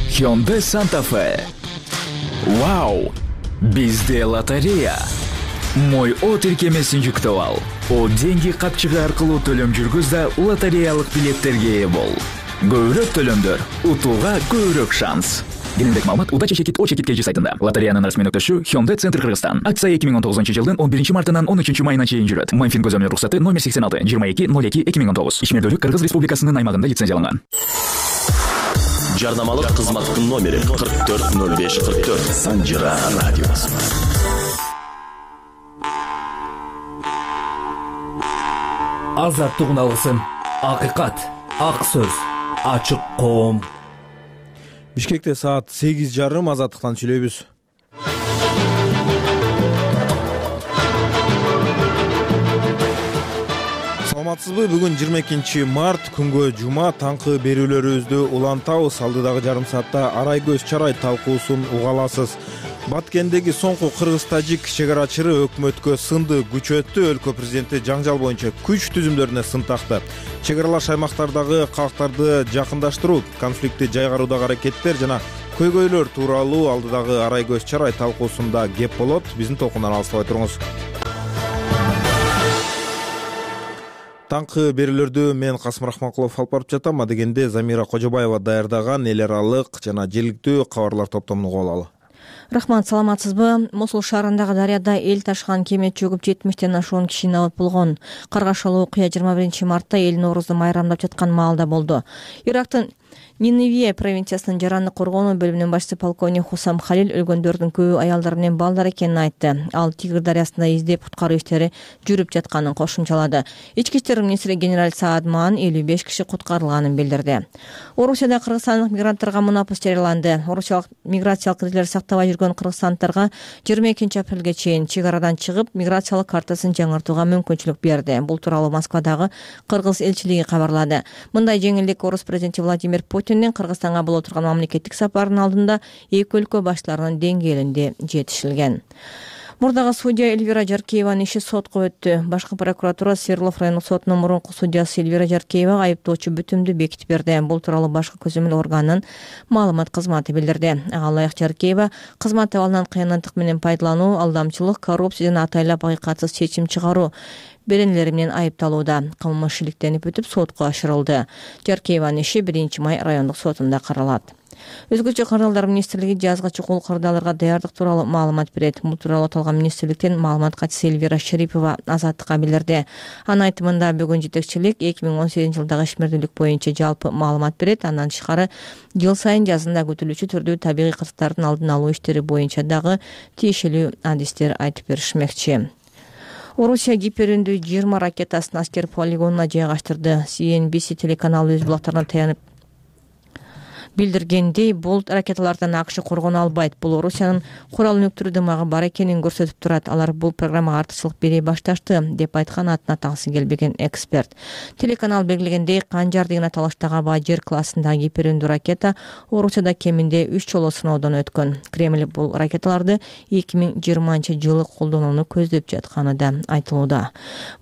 Hyundai Santa Fe. Вау! Бизде лотерея. Мой О тиркемесин жүктөп ал. О деньги капчыгы аркылуу төлөм жүргүз да лотереялык билеттерге ээ бол. Көбүрөөк төлөмдөр, утууга көбүрөөк шанс. кененирээк маалымат удача чекит О-чекит KG сайтында. Лотереянын расмий өктөшү Hyundai Центр Кыргызстан. Акция 2019-жылдын 11 мартынан 13 майына чейин жүрөт. Мамфин көзөмөл руксаты номер 86 2202-2019. Ишмердүүлүк Кыргыз Республикасынын аймагында лицензияланган. Жарнамалык кызматтын номери 440544. Санжира радиосу. Азаттык алгысын. Акыйкат, ак сөз, ачык коом. Бишкекте саат 8:30 азаттыктан сүйлөйбүз. Саламатсызбы? Бүгүн 22 март, күнгө жума, таңкы берүүлөрүбүздү улантабыз. Алдыдагы жарым саатта арай көз чарай талкуусун уга аласыз. Баткендеги соңку кыргыз-тажик чегарачыры өкмөткө сынды күчөттү. Өлкө президенти жаңжал боюнча күч түзүмдөрүнө сын такты. Чегаралаш аймактардагы калктарды жакындаштыруу, конфликтти жайгаруудагы аракеттер жана көйгөйлөр тууралуу алдыдагы арай көз чарай талкуусунда кеп болот. Биздин толкундан алыстабай туруңуз. Таңкы берүүлөрдү мен Касым Рахманкулов алып барып жатам. Адегенде Замира Кожобаева даярдаган эл аралык жана жергиликтүү кабарлар топтомун угуп алалы. Рахмат, саламатсызбы? Мосул шаарындагы дарыяда эл ташыган кеме чөгүп 70тен ашуун киши абат болгон. Каргашалуу окуя 21 мартта эл Ноорузду майрамдап жаткан маалда болду. Ирактын Ниневия провинциясынын жараны коргонуу бөлүмүнүн башчысы полковник Хусам Халил өлгөндөрдүн көбү аялдар менен балдар экенин айтты. Ал Тигр дарыясында издеп куткаруу иштери жүрүп жатканын кошумчалады. Ички иштер министри генерал Саадман 55 киши куткарылганын билдирди. Орусияда кыргызстандык мигранттарга мунапыс жарыяланды. Орусиялык миграциялык критерийлер сактабай жүргөн кыргызстандыктарга 22 апрелге чейин чек арадан чыгып, миграциялык картасын жаңыртууга мүмкүнчүлүк берди. Бул тууралуу Москвадагы кыргыз элчилиги кабарлады. Мындай жеңилдик орус президенти Владимир Путиндин Кыргызстанга боло турган мамлекеттик сапарынын алдында эки өлкө баштарынын деңгээлинде жетишилген. Мурдагы судья Эльвира Жаркееванын иши сотко өттү. Башкы прокуратура Свердлов райондук сотунун мурунку судьясы Эльвира Жаркеевага айыптоочу бүтүмдү бекитип берди. Бул тууралуу башкы көзөмөл органынын маалымат кызматы билдирди. Ага ылайык Жаркеева кызмат абалынан кыянаттык менен пайдалануу, алдамчылык, коррупция жана атайлап акыйкатсыз чечим чыгаруу беренелери менен айыпталууда. Кылмыш иликтенип өтүп сотко ашырылды. Жаркееванын иши 1 май райондук сотунда каралат. Өзгөчө кырдаалдар министрлиги жазга чукул кырдаалдарга даярдык тууралуу маалымат берет. Бул тууралуу аталган министрликтин маалымат катчысы Эльвира Шерипова Азаттыкка билдирди. Анын айтымында бүгүн жетекчилик 2018-жылдагы ишмердүүлүк боюнча жалпы маалымат берет. Андан тышкары жыл сайын жазында күтүлүүчү түрдүү табигый кырсыктардын алдын алуу иштери боюнча дагы тиешелүү адистер айтып беришмекчи. Орусия гиперүндүү 20 ракетасын аскер полигонуна жайгаштырды. CNBC телеканалы өз булактарына таянып билдиргендей, бул ракеталардан АКШ коргоно албайт. Бул Орусиянын курал өнүктүрүү дымагы бар экенин көрсөтүп турат. Алар бул программага артыкчылык бере башташты, деп айткан атын атагысы келбеген эксперт. Телеканал белгилегендей, Канжар деген аталыштагы Бажер классындагы гиперүндүү ракета Орусияда кеминде 3 жолу сыноодон өткөн. Кремль бул ракеталарды 2020-жылы колдонууну көздөп жатканы да айтылууда.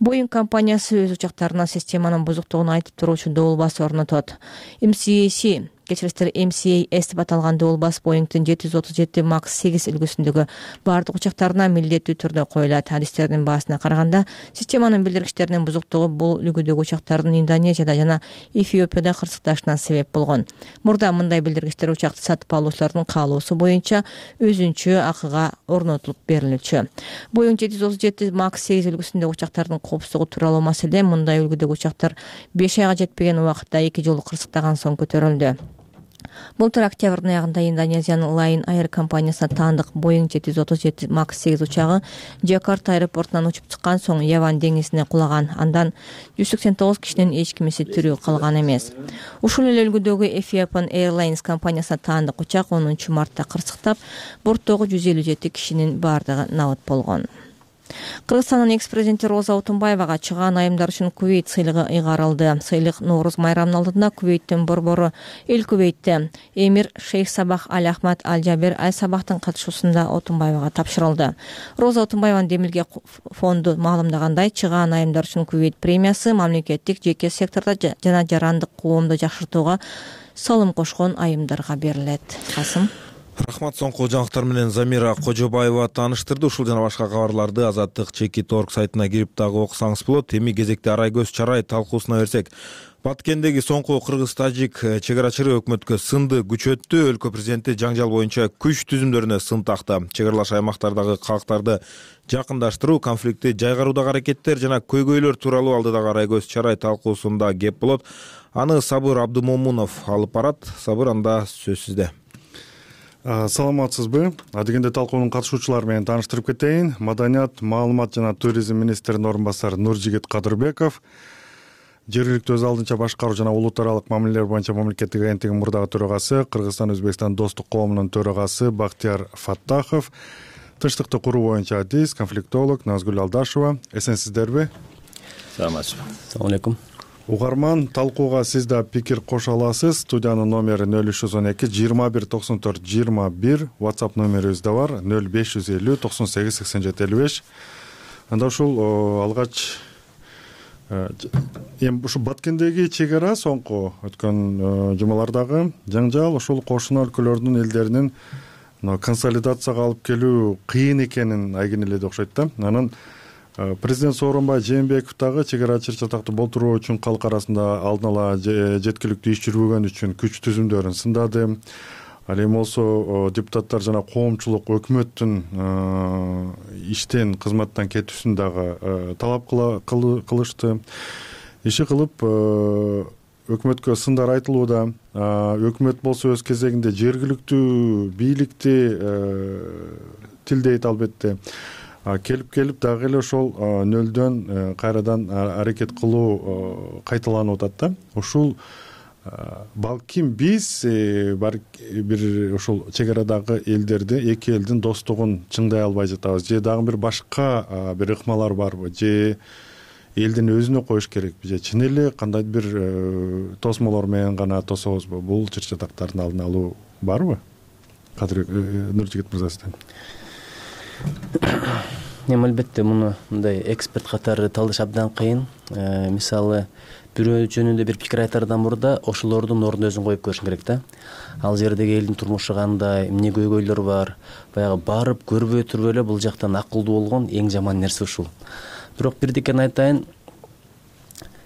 Boeing компаниясы өз учактарына системанын бузуктугун айтып туруучу добулбас орнотот. MCAS деп аталган добулбас Boeing'тин 737 Max 8 үлгүсүндөгү бардык учактарына милдеттүү түрдө коюлат. Адистердин баасына караганда, системанын билдиргичтеринин бузуктугу бул үлгүдөгү учактардын Индонезияда жана Эфиопияда кырсыкташына себеп болгон. Мурда мындай билдиргичтер учакты сатып алуучулардын каалоосу боюнча өзүнчө акыга орнотулуп берилчү. Boeing 737 Max 8 үлгүсүндөгү учактардын коопсуздугу тууралуу маселе мындай үлгүдөгү учактар 5 айга жетпеген убакытта 2 жолу кырсыктаган соң көтөрүлдү. Былтыр октябрдын аягында Индонезиянын Lion Air компаниясына таандык Boeing 737 Max 8 учагы Жакарта аэропортунан учуп чыккан соң Яван деңизине кулаган. Андан 189 кишинин эч кимиси тирүү калган эмес. Ушул эле үлгүдөгү Ethiopian Airlines компаниясына таандык учак 10 мартта кырсыктап, борттогу 157 кишинин бардыгы набат болгон. Кыргызстандын экс-президенти Роза Отунбаевага чыгаан айымдар үчүн Кувейт сыйлыгы ыйгарылды. Сыйлык Нооруз майрамынын алдында Кувейттин борбору Эл Кувейтте эмир Шейх Сабах Аль Ахмад Аль Жабер Аль Сабахтын катышуусунда Отунбаевага тапшырылды. Роза Отунбаеванын Демилге фонду маалымдагандай, чыгаан айымдар үчүн Кувейт премиясы мамлекеттик, жеке сектордо жана жарандык коомду жакшыртууга салым кошкон айымдарга берилет. Касым. Рахмат, соңку жаңылыктар менен Замира Кожобаева тааныштырды. Ушул жана башка кабарларды Азаттык Чекит.org сайтына кирип дагы окусаңыз болот. Эми кезекте арай көз чарай талкуусуна берсек. Баткендеги соңку кыргыз-тажик чек арачылары өкмөткө сынды күчөттү. Өлкө президенти жаңжал боюнча күч түзүмдөрүнө сын такты. Чек аралаш аймактардагы калктарды жакындаштыруу, конфликтти жайгаруудагы аракеттер жана көйгөйлөр тууралуу алдыдагы Арайкөз чарай талкуусунда кеп болот. Аны Сабыр Абдымомунов алып барат. Сабыр, анда сөз сизде. Саламатсызбы? Адегенде талкуунун катышуучулары менен тааныштырып кетейин. Маданият, маалымат жана туризм министринин орун басары Нуржигит Кадырбеков, жергиликтүү өз алдынча башкаруу жана улут аралык мамилелер боюнча мамлекеттик агенттигинин мурдагы төрагасы, Кыргызстан-Өзбекстан достук коомунун төрагасы Бактияр Фаттахов, тынчтыкты куруу боюнча адис, конфликтолог Назгүл Алдашева. Эсенсиздерби? Саламатсызбы. Assalamu alaikum. Угарман, талкууга сиз да пикир кошо аласыз. Студиянын номери 0312 21 94 21, WhatsApp номерибиз да бар 0550 98 87 55. Анда ушул алгач эми ушу Баткендеги чек ара соңку өткөн жумалардагы жаңжал ушул кошуна өлкөлөрдүн элдеринин консолидацияга алып келүү кыйын экенин айгинеледи окшойт да. Анан президент Сооронбай Жээнбеков дагы чек ара чыр-чатакты болтуруу үчүн калк арасында алдын ала жеткиликтүү иш жүргүзгөн үчүн күч түзүмдөрүн сындады. Ал эми болсо депутаттар жана коомчулук өкмөттүн иштен, кызматтан кетүүсүн дагы талап кылышты. Иши кылып өкмөткө сындар айтылууда. Өкмөт болсо өз кезегинде жергиликтүү бийликти тилдейт албетте. Келип дагы эле ошол нөлдөн кайрадан аракет кылуу кайталанып атат да. Ушул балким биз бир ушул чек арадагы элдерди, эки элдин достугун чыңдай албай жатабыз. Же дагы бир башка бир ыкмалар барбы? Же элдин өзүнө коюш керекпи? Же чын эле кандайдыр бир тосмолор менен гана тособузбу? Бул чыр-чатактардын алдын алуу барбы? Нуржигит мырза, сизден. Эми албетте муну мындай эксперт катары талдаш абдан кыйын. Мисалы, бирөө жөнүндө бир пикир айтардан мурда ошолордун ордуна өзүн коюп көрүш керек да. Ал жердеги элдин турмушу кандай, эмне көйгөйлөр бар, баягы барып көрбөй туруп эле бул жактан акылдуу болгон эң жаман нерсе ушул. Бирок бирдикени айтайын,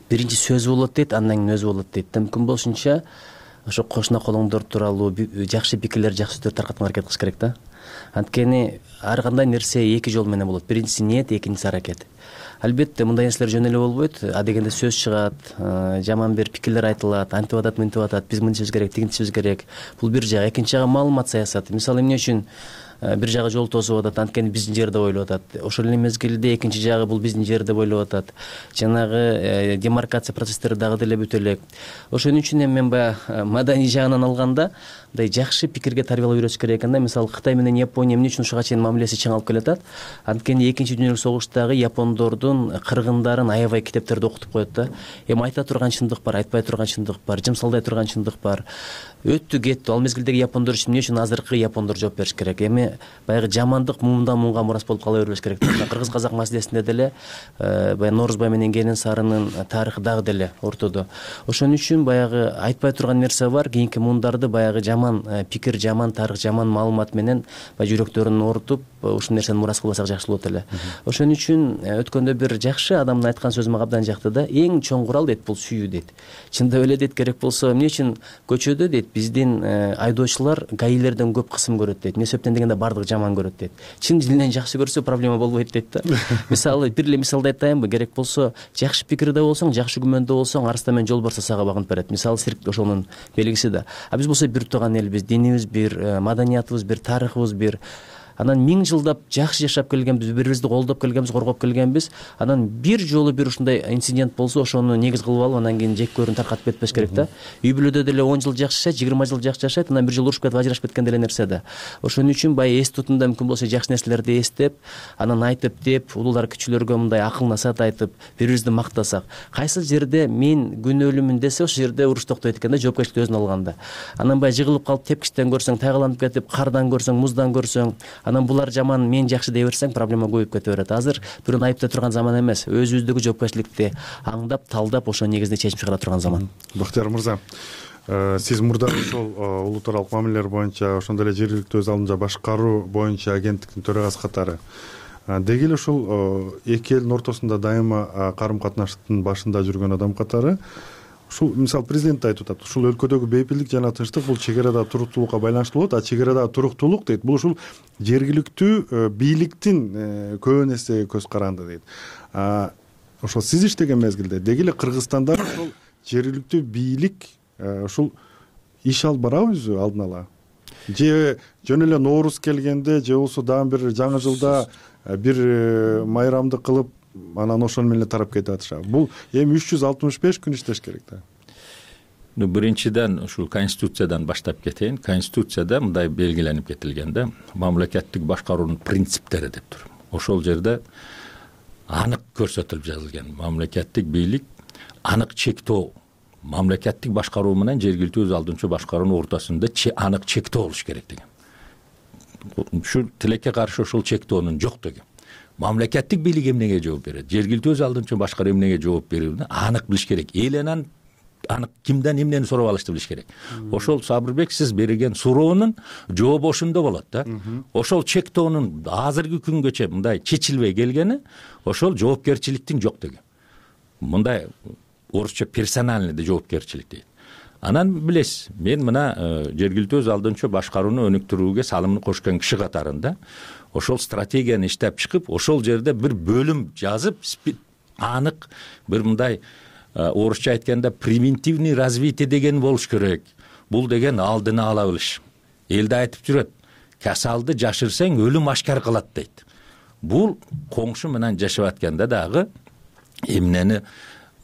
биринчи сөз болот дейт, андан кийин өзү болот дейт. Мүмкүн болушунча ошо кошуна колуңдор тууралуу жакшы пикирлер, жакшы сөздөрдү таркатууга аракет кылыш керек да. Анткени ар кандай нерсе эки жол менен болот. Биринчиси ниет, экинчиси аракет. Албетте мындай нерселер жөн эле болбойт. Адегенде сөз чыгат, жаман бир пикирлер айтылат, антип атат, мынтип атат, биз мынтишибиз керек, тигинтишибиз керек. Бул бир жагы. Экинчи жагы маалымат саясаты. Мисалы, эмне үчүн бир жагы жол тосуп атат, анткени биздин жер деп ойлоп атат. Ошол эле мезгилде экинчи жагы бул биздин жер деп ойлоп атат. Жанагы демаркация процесстери дагы деле бүтө элек. Ошон үчүн эми мен баягы маданий жагынан алганда мындай жакшы пикирге тарбиялап үйрөтүш керек экен да. Мисалы, Кытай менен Япония эмне үчүн ушуга чейин мамилеси чың алып келатат? Анткени экинчи дүйнөлүк согуштагы япондордун кыргындарын аябай китептерде окутуп коет да. Эми айта турган чындык бар, айтпай турган чындык бар, жымсалдай турган чындык бар. Өттү кетти. Ал мезгилдеги япондор үчүн эмне үчүн азыркы япондор жооп бериш керек? Эми баягы жамандык муңдан муңга мурас болуп кала бербеш керек. Кыргыз казак маселесинде деле баягы Норузбай менен Келин Сарынын тарыхы дагы деле ортодо. Ошон үчүн баягы айтпай турган нерсе бар. Кийинки муңдарды баягы жаман пикир, жаман тарых, жаман маалымат менен баягы жүрөктөрүн оорутуп, ушул нерсени мурас кылбасак жакшы болот эле. Ошон үчүн өткөндө бир жакшы адамдын айткан сөзү мага абдан жакты да. Эң чоң курал дейт, бул сүйүү дейт. Чындап эле дейт, керек болсо эмне үчүн көчөдө дейт биздин айдоочулар гаилерден көп кысым көрөт дейт. Эмне себептен дегенде бардыгы жаман көрөт дейт. Чын дилинен жакшы көрсө проблема болбойт дейт да. Мисалы, бир эле мисалды айтайынбы? Керек болсо жакшы пикирде болсоң, жакшы күмөндө болсоң, арыста менен жолбарс сага багынып берет. Мисалы, цирк ошонун белгиси да. А биз болсо бир тууган элбиз, динибиз бир, маданиятыбыз бир, тарыхыбыз бир. Анан 1000 жылдап жакшы жашап келгенбиз, бири-бирибизди колдоп келгенбиз, коргоп келгенбиз. Анан бир жолу бир ушундай инцидент болсо, ошону негиз кылып алып, анан кийин жек-көрүн таркатып кетпеш керек да. Үй бүлөдө деле 10 жыл жакшы жашайт, 20 жыл жакшы жашайт, анан бир жолу урушуп кетип, ажырашып кеткен деле нерсе да. Ошон үчүн баягы эс тутумда мүмкүн болсо жакшы нерселерди эстеп, анан айтып деп, улуулар кичүүлөргө мындай акыл насаат айтып, бири-бирибизди мактасак, кайсы жерде мен күнөөлүүмүн десе, ошол жерде уруш токтойт экен да, жоопкерчиликти өзүнө алганда. Анан баягы жыгылып калып тепкичтен көрсөң, тайгаланып кетип, кардан көрсөң, муздан көрсөң, анан булар жаман, мен жакшы дей берсең, проблема көбөйүп кете берет. Азыр бирөөнү айыптай турган заман эмес, өзүбүздөгү жоопкерчиликти аңдап, талдап, ошо негизинде чечим чыгара турган заман. Бактияр мырза, сиз мурда ошол улут аралык мамилелер боюнча, ошондой эле жергиликтүү өз алдынча башкаруу боюнча агенттиктин төрагасы катары деги эле ушул эки элдин ортосунда дайыма карым катнаштын башында жүргөн адам катары ушул мисалы президент да айтып атат, ушул өлкөдөгү бейпилдик жана тынчтык бул чек арадагы туруктуулукка байланыштуу болот. А чек арадагы туруктуулук дейт, бул ушул жергиликтүү бийликтин көбүн эсе көз каранды дейт. Ошол сиз иштеген мезгилде деги эле Кыргызстанда ошол жергиликтүү бийлик ушул иш алып барабы өзү алдын ала? Же жөн эле Ноорус келгенде же болбосо дагы бир жаңы жылда бир майрамды кылып анан ошону менен эле тарап кетип атышабы? Бул эми 365 күн иштеш керек да. Биринчиден ушул конституциядан баштап кетейин. Конституцияда мындай белгиленип кетилген да, мамлекеттик башкаруунун принциптери деп туруп. Ошол жерде анык көрсөтүлүп жазылган. Мамлекеттик бийлик анык чектөө, мамлекеттик башкаруу менен жергиликтүү өз алдынча башкаруунун ортосунда анык чектөө болуш керек деген. Ушул тилекке каршы ошол чектөөнүн жок деген. Мамлекеттик бийлик эмнеге жооп берет? Жергиликтүү өз алдынча башкаруу эмнеге жооп берүүнү анык билиш керек. Элен анык кимден эмнени сурап алышты билиш керек. Ошол Сабырбек сиз берген суроонун жообу ошондо болот да. Ошол чектөөнүн азыркы күнгөчө мындай чечилбей келгени ошол жоопкерчиликтин жок деген. Мындай орусча персональный жоопкерчилик дейт. Анан билесиз, мен мына жергиликтүү өз алдынча башкарууну өнүктүрүүгө салымын кошкон киши катарында ошол стратегияны иштеп чыгып, ошол жерде бир бөлүм жазып, анык бир мындай орусча айтканда превентивный развитие деген болуш керек. Бул деген алдыны ала билиш. Элде айтып жүрөт, касалды жашырсаң өлүм ашкар кылат дейт. Бул коңшу менен жашап атканда дагы эмнени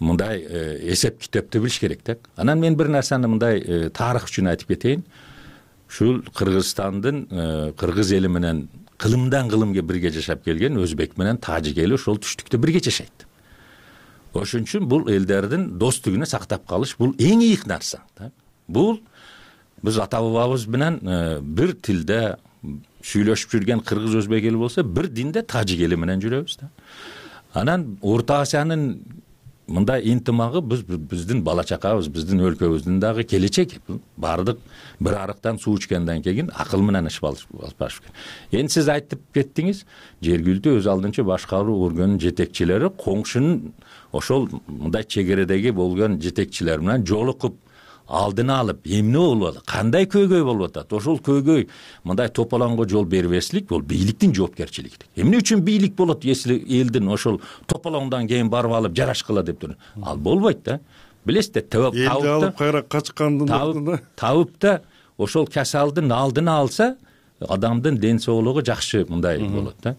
мындай эсеп китепти билиш керек да. Анан мен бир нерсени мындай тарых үчүн айтып кетейин. Ушул Кыргызстандын кыргыз эли менен кылымдан кылымга бирге жашап келген өзбек менен тажик эли ошол түштүктө бирге жашайт. Ошон үчүн бул элдердин достугуну сактап калыш бул эң ийик нерсе да. Бул биз ата бабабыз менен бир тилде сүйлөшүп жүргөн кыргыз өзбек эли болсо, бир динде тажик эли менен жүрөбүз да. Анан Орто Азиянын мындай интимагы биздин бала чакабыз, биздин өлкөбүздүн дагы келечеги. Бардык бир арыктан суу ичкенден кийин акыл менен иш алып баш керек. Эми сиз айтып кеттиңиз, жергиликтүү өз алдынча башкаруу органынын жетекчилери коңшунун ошол мындай чегередеги болгон жетекчилер менен жолугуп алдын алып, эмне болуп атат, кандай көйгөй болуп атат, ошол көйгөй мындай тополоңго жол бербеслик бул бийликтин жоопкерчилиги. Эмне үчүн бийлик болот, если элдин ошол тополоңдон кийин барып алып жарашкыла деп туруп? Ал болбойт да. Билесиз да, элди алып кайра качкандын ордуна табып да ошол касалдын алдын алса, адамдын ден соолугу жакшы мындай болот да.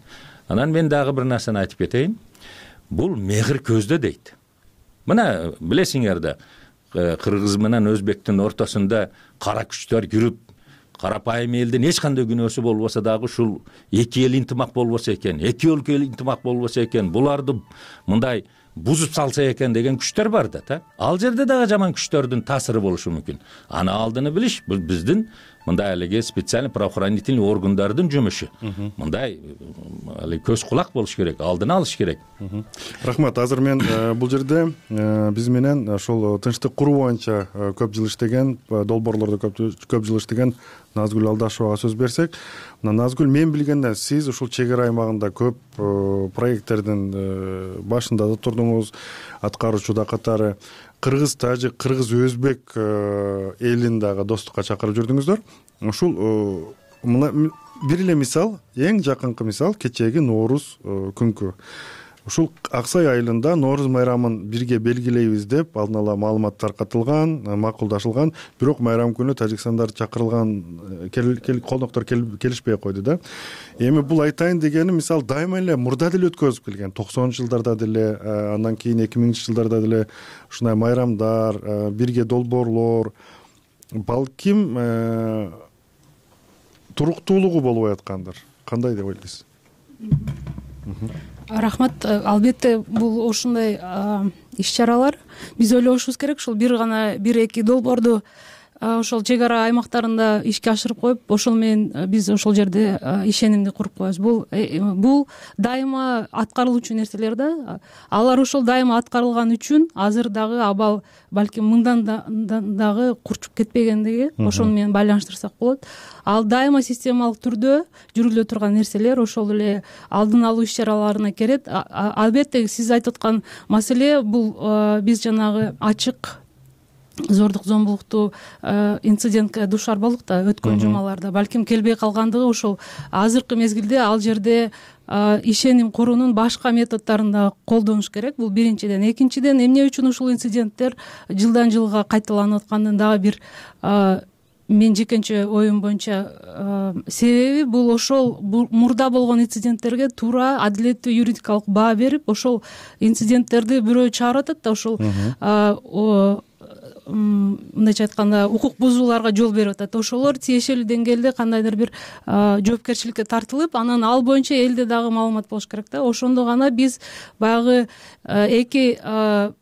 Анан мен дагы бир нерсени айтып кетейин. Бул мехир көздө дейт. Мына билесиңер да, кыргыз менен өзбектин ортосунда кара күчтөр жүрүп, карапайым элдин эч кандай күнөөсү болбосо дагы ушул эки эл интимак болбосо экен, эки өлкө интимак болбосо экен, буларды мындай бузуп салса экен деген күчтөр бар да. Ал жерде дагы жаман күчтөрдүн таасиры болушу мүмкүн. Аны алдыны билиш бул биздин мындай эле специальный правоохранительный органдардын жумушу. Мындай көз кулак болуш керек, алдын алыш керек. Рахмат. Азыр мен бул жерде биз менен ошол тынчтык куруу боюнча көп жыл иштеген, долбоорлордо көп жыл иштеген Назгүл Алдашевага сөз берсек, Назгүл, мен билгенден сиз ушул чек ара аймагында көп проекттердин башында да турдуңуз, аткаруучуда катары. Кыргыз, тажик, кыргыз, өзбек элин дагы достукка чакырып жүрдүңүздөр. Ушул бир эле мисал, эң жакынкы мисал кечээги Ноорус күнкү. Ушул Аксай айылында Ноорус майрамын бирге белгилейбиз деп алдын ала маалымат таркатылган, макулдашылган, бирок майрам күнү тажикстандар чакырылган колдоктор келишпей койду да. Эми бул айтайын дегени мисал дайыма эле мурда деле өткөзүп келген. 90-жылдарда деле, андан кийин 2000-жылдарда деле ушундай майрамдар, бирге долбоорлор, балким туруктуулугу болбой аткандыр. Кандай деп ойлойсуз? Рахмат. Албетте бул ушундай иш-чаралар биз ойлошубуз керек. Ушул бир эки долбоорду ошол чек ара аймактарында ишке ашырып коюп, ошол менен биз ошол жерде ишенимди куруп коебуз. Бул дайыма аткарылуучу нерселер да. Алар ошол дайыма аткарылган үчүн азыр дагы абал балким мындан дагы курчуп кетпегендиги ошону менен байланыштырсак болот. Ал дайыма системалык түрдө жүрүлө турган нерселер ошол эле алдын алуу иш-чараларына кирет. Албетте сиз айтып аткан маселе бул биз жанагы ачык зордук зомбулуктуу инцидентке дуушар болдук да өткөн жумаларда. Балким келбей калгандыгы ошол азыркы мезгилде ал жерде ишеним куруунун башка методдорун да колдонуш керек. Бул биринчиден. Экинчиден, эмне үчүн ушул инциденттер жылдан жылга кайталанып аткандын дагы бир мен жекенче оюм боюнча себеби бул ошол мурда болгон инциденттерге туура адилеттүү юридикалык баа берип, ошол инциденттерди бирөө чыгарып атат да, ошол мындайча айтканда укук бузууларга жол берип атат. Ошолор тиешелүү деңгээлде кандайдыр бир жоопкерчиликке тартылып, анан ал боюнча элде дагы маалымат болуш керек да. Ошондо гана биз баягы эки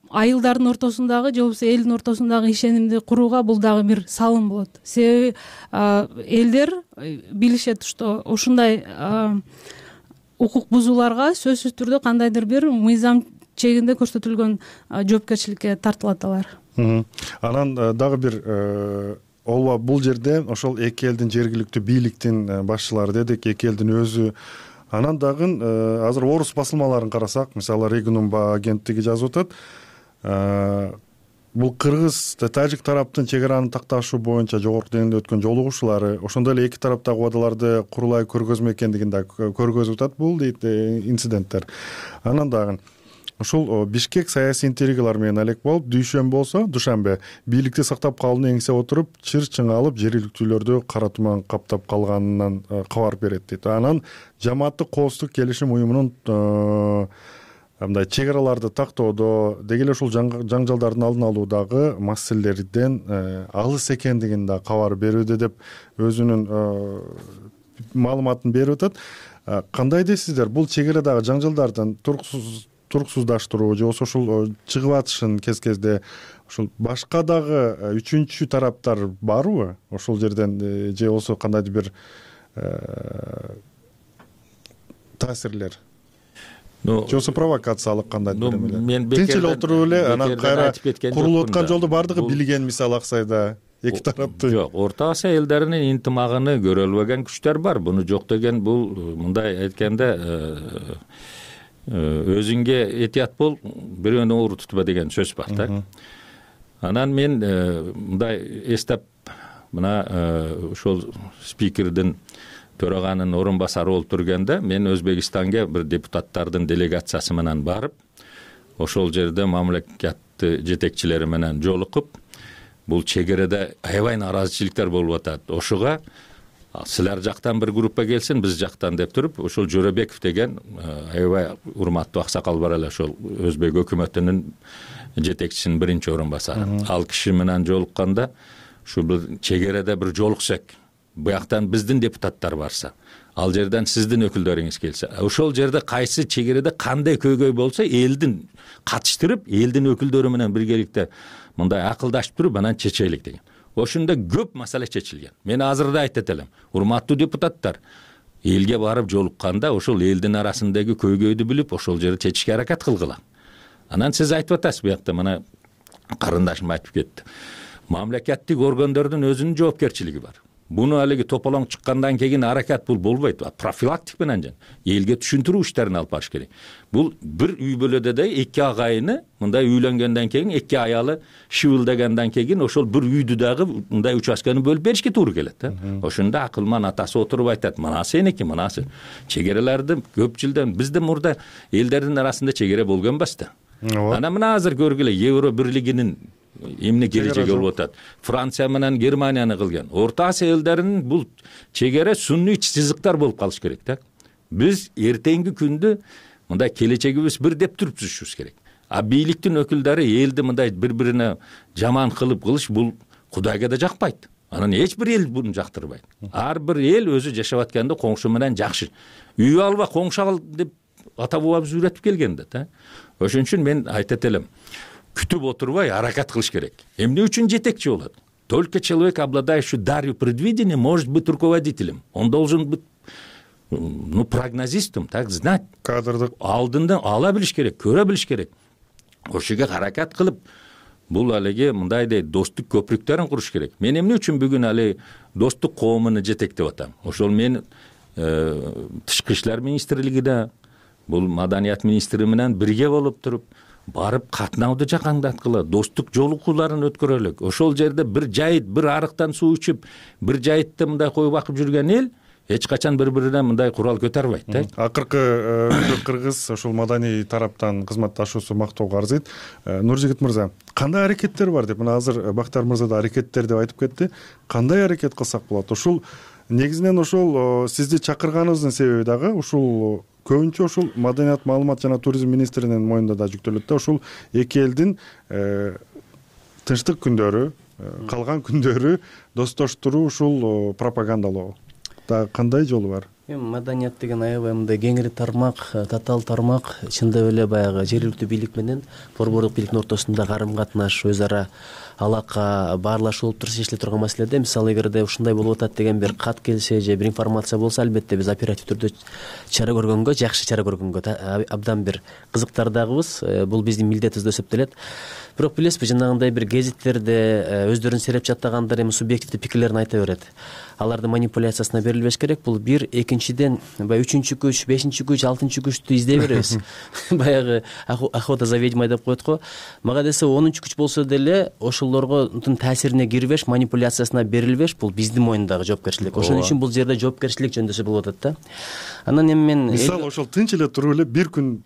айылдардын ортосундагы же болбосо элдин ортосундагы ишенимди курууга бул дагы бир салым болот. Себеби элдер билишет, что ушундай укук бузууларга сөзсүз түрдө кандайдыр бир мыйзам чегинде көрсөтүлгөн жоопкерчиликке тартылат алар. Анан дагы бир ооба, бул жерде ошол эки элдин жергиликтүү бийликтин башчылары дедик, эки элдин өзү. Анан дагы азыр орус басылмаларын карасак, мисалы Регнумба агенттиги жазып атат, бул кыргыз тажик тараптын чек араны такташуу боюнча жогорку деңгээлде өткөн жолугушуулары ошондой эле эки тараптагы убадаларды курулай көргөзмө экендигин да көргөзүп атат бул дейт инциденттер. Анан дагы ушул Бишкек саясий интригалар менен алек болуп, дүйшөмбе бийликти сактап калууну эңсеп отуруп, чыр-чың алып жергиликтүүлөрдү кара туман каптап калганынан кабар берет дейт. Анан жамааттык коопсуздук келишим уюмунун мындай чек араларды тактоодо деги эле ушул жаңжалдардын алдын алуудагы маселелерден алыс экендигин да кабар берүүдө деп өзүнүн маалыматын берип атат. Кандай дейсиздер, бул чек арадагы жаңжалдардын туруксуздаштыруу же болбосо ушул чыгып атышын кез-кезде ушул башка дагы үчүнчү тараптар барбы ошол жерден, же болбосо кандайдыр бир таасирлер? Же болбосо провокациялык кандайдыр бир эмелер? Тинч эле отуруп эле анан кайра курулуп аткан жолду бардыгы билген, мисалы Аксайда эки тараптын. Жок, Орто Асия элдеринин интимагын көрө албаган күчтөр бар. Буну жок деген бул мындай айтканда өзүңө этият бол, бирөөнү оор тутпа деген сөз бар да. Анан мен мындай эстеп, мына ошол спикердин төраганын орун басары болуп турганда, мен Өзбекстанга бир депутаттардын делегациясы менен барып, ошол жерде мамлекет жетекчилери менен жолугуп, бул чек арада аябай нааразычылыктар болуп атат. Ошого силер жактан бир группа келсин, биз жактан деп туруп, ошол Жөрөбеков деген аябай урматтуу аксакал бар эле, ошол Өзбек өкмөтүнүн жетекчисинин биринчи орун басары. Ал киши менен жолукканда, ушул чек арада бир жолуксак, буяктан биздин депутаттар барса, ал жерден сиздин өкүлдөрүңүз келсе, ошол жерде кайсы чек арада кандай көйгөй болсо, элдин катыштырып, элдин өкүлдөрү менен биргеликте мындай акылдашып туруп, анан чечелик деген. Ошондо көп маселе чечилген. Мен азыр да айтат элем, урматтуу депутаттар, элге барып жолукканда ошол элдин арасындагы көйгөйдү билип, ошол жерде чечишке аракет кылгыла. Анан сиз айтып атасыз, буякта мына карындашым айтып кетти. Мамлекеттик органдардын өзүнүн жоопкерчилиги бар. Буну алиги тополоң чыккандан кийин аракет бул болбойт. Профилактик менен элге түшүндүрүү иштерин алып барыш керек. Бул бир үй бүлөдө да эки агайыны мындай үйлөнгөндөн кийин, эки аялы шыбылдагандан кийин ошол бир үйдү дагы мындай участканы бөлүп беришке туура келет. Ошондо акылман атасы отуруп айтат, мына сеники, мынасы. Чек араларды көп жылдан бизде мурда элдердин арасында чек ара болгон эмес да. Анан мына азыр көргүлө, Евро бирлигинин эмне келечеги болуп атат. Франция менен Германияны кылган. Орто Асия элдеринин бул чек ара сунний сызыктар болуп калыш керек да. Биз эртеңки күндө мындай келечегибиз бир деп туруп түзүшүбүз керек. А бийликтин өкүлдөрү элди мындай бири-бирине жаман кылыш бул Кудайга да жакпайт. Анан эч бир эл буну жактырбайт. Ар бир эл өзү жашап атканда коңшу менен жакшы. Үй алба, коңшу ал деп ата бабабыз үйрөтүп келген да. Ошон үчүн мен айтат элем, күтүп отурбай аракет кылыш керек. Эмне үчүн жетекчи болот? Только человек, обладающий дарью предвидения, может быть руководителем. Он должен быть прогнозистом, так знать. Кадрдык алдында ала билиш керек, көрө билиш керек. Ошого аракет кылып, бул алиги мындайдай достук көпүрүктөрүн куруш керек. Мен эмне үчүн бүгүн али достук коомуну жетектеп атам? Ошол мен тышкы иштер министрлигиде, бул маданият министри менен бирге болуп туруп, барып катнауду жакаңдаткыла, достук жолугууларын өткөрөлүк. Ошол жерде бир жайыт, бир арыктан суу ичип, бир жайытта мындай кой бакып жүргөн эл эч качан бири-бирине мындай курал көтөрбөйт да. Акыркы кыргыз ошол маданий тараптан кызматташуусу мактоого арзыйт. Нуржигит мырза, кандай аракеттер бар деп, мына азыр Бактар мырза да аракеттер деп айтып кетти. Кандай аракет кылсак болот? Ушул негизинен ошол сизди чакырганыбыздын себеби дагы ушул көбүнчө ушул маданият, маалымат жана туризм министринин мойнунда да жүктөлөт да. Ушул эки элдин тынчтык күндөрү, калган күндөрү достоштуруу, ушул пропагандалоо дагы кандай жолу бар? Эми маданият деген аябай мындай кеңири тармак, татаал тармак. Чындап эле баягы жергиликтүү бийлик менен борбордук бийликтин ортосунда карым катнаш, өз ара алака, баарлашуу болуп туруп чечиле турган маселеде. Мисалы, эгерде ушундай болуп атат деген бир кат келсе же бир информация болсо, албетте биз оператив түрдө чара көргөнгө, жакшы чара көргөнгө абдан бир кызыктардагыбыз. Бул биздин милдетибиз деп эсептелет. Бирок билесизби, жанагындай бир гезиттерде өздөрүн сереп жаттагандар эми субъективдүү пикирлерин айта берет. Алардын манипуляциясына берилбеш керек. Бул бир, экинчиден баягы 3-күч, 5-күч, 6-күчтү издей беребиз. Баягы охота за ведьмой деп коет го. Мага десе 10-күч болсо деле ошолорго таасирине кирбеш, манипуляциясына берилбеш, бул биздин мойнундагы жоопкерчилик. Ошон үчүн бул жерде жоопкерчилик жөндөсө болуп атат да. Анан эми мен мисалы ошол тынч эле туруп эле бир күн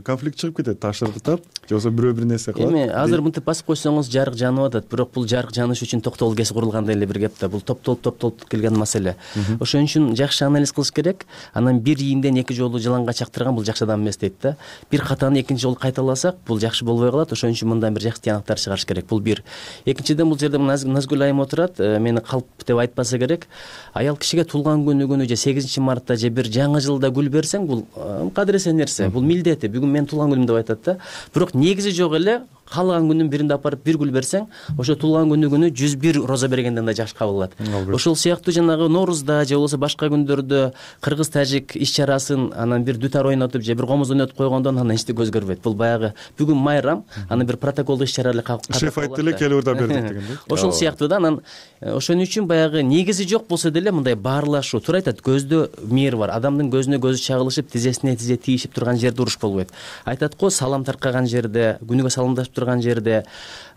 конфликт чыгып кетет, ташыртат, же болбосо бирөө бир нерсе кылат. Эми азыр мынтип басып койсоңуз жарык жанып атат, бирок бул жарык жаныш үчүн токтогул кеси курулгандай эле бир кеп да. Бул топтолуп келген маселе. Ошон үчүн жакшы анализ кылыш керек. Анан бир ийинден эки жолу жыланга чактырган бул жакшы адам эмес дейт да. Бир катаны экинчи жолу кайталасак, бул жакшы болбой калат. Ошон үчүн мындан бир жакшы тыянактар чыгарыш керек. Бул бир. Экинчиден, бул жерде Назгүл айым отурат, мени калп деп айтпаса керек. Аял кишиге туулган күнү же 8-мартта же бир жаңы жылда гүл берсең, бул кадыресе нерсе, бул милдети. Бүгүн мен туулган күнүм деп айтат да. Бирок негизи жок эле. Калган күнүн биринде апарып бир гүл берсең, ошо туулган күнү 101 роза бергенден да жакшы кабыл алат. Ошол сыяктуу жанагы Ноорузда же болбосо башка күндөрдө кыргыз-тажик иш-чарасын анан бир дутар ойнотуп же бир комуз ойнотуп койгондон анан эчтеке өзгөрбөйт. Бул баягы бүгүн майрам, анан бир протоколдук иш-чара эле катышып. Шеф айтты эле, келип да бердик деген да. Ошол сыяктуу да. Анан ошон үчүн баягы негизи жок болсо деле мындай баарлашуу, туура айтат, көздө мээр бар. Адамдын көзүнө көзү чагылышып, тизесине тизе тийишип турган жерде уруш болбойт. Айтат го, салам таркаган жерде, күнүгө саламдашып турган жерде,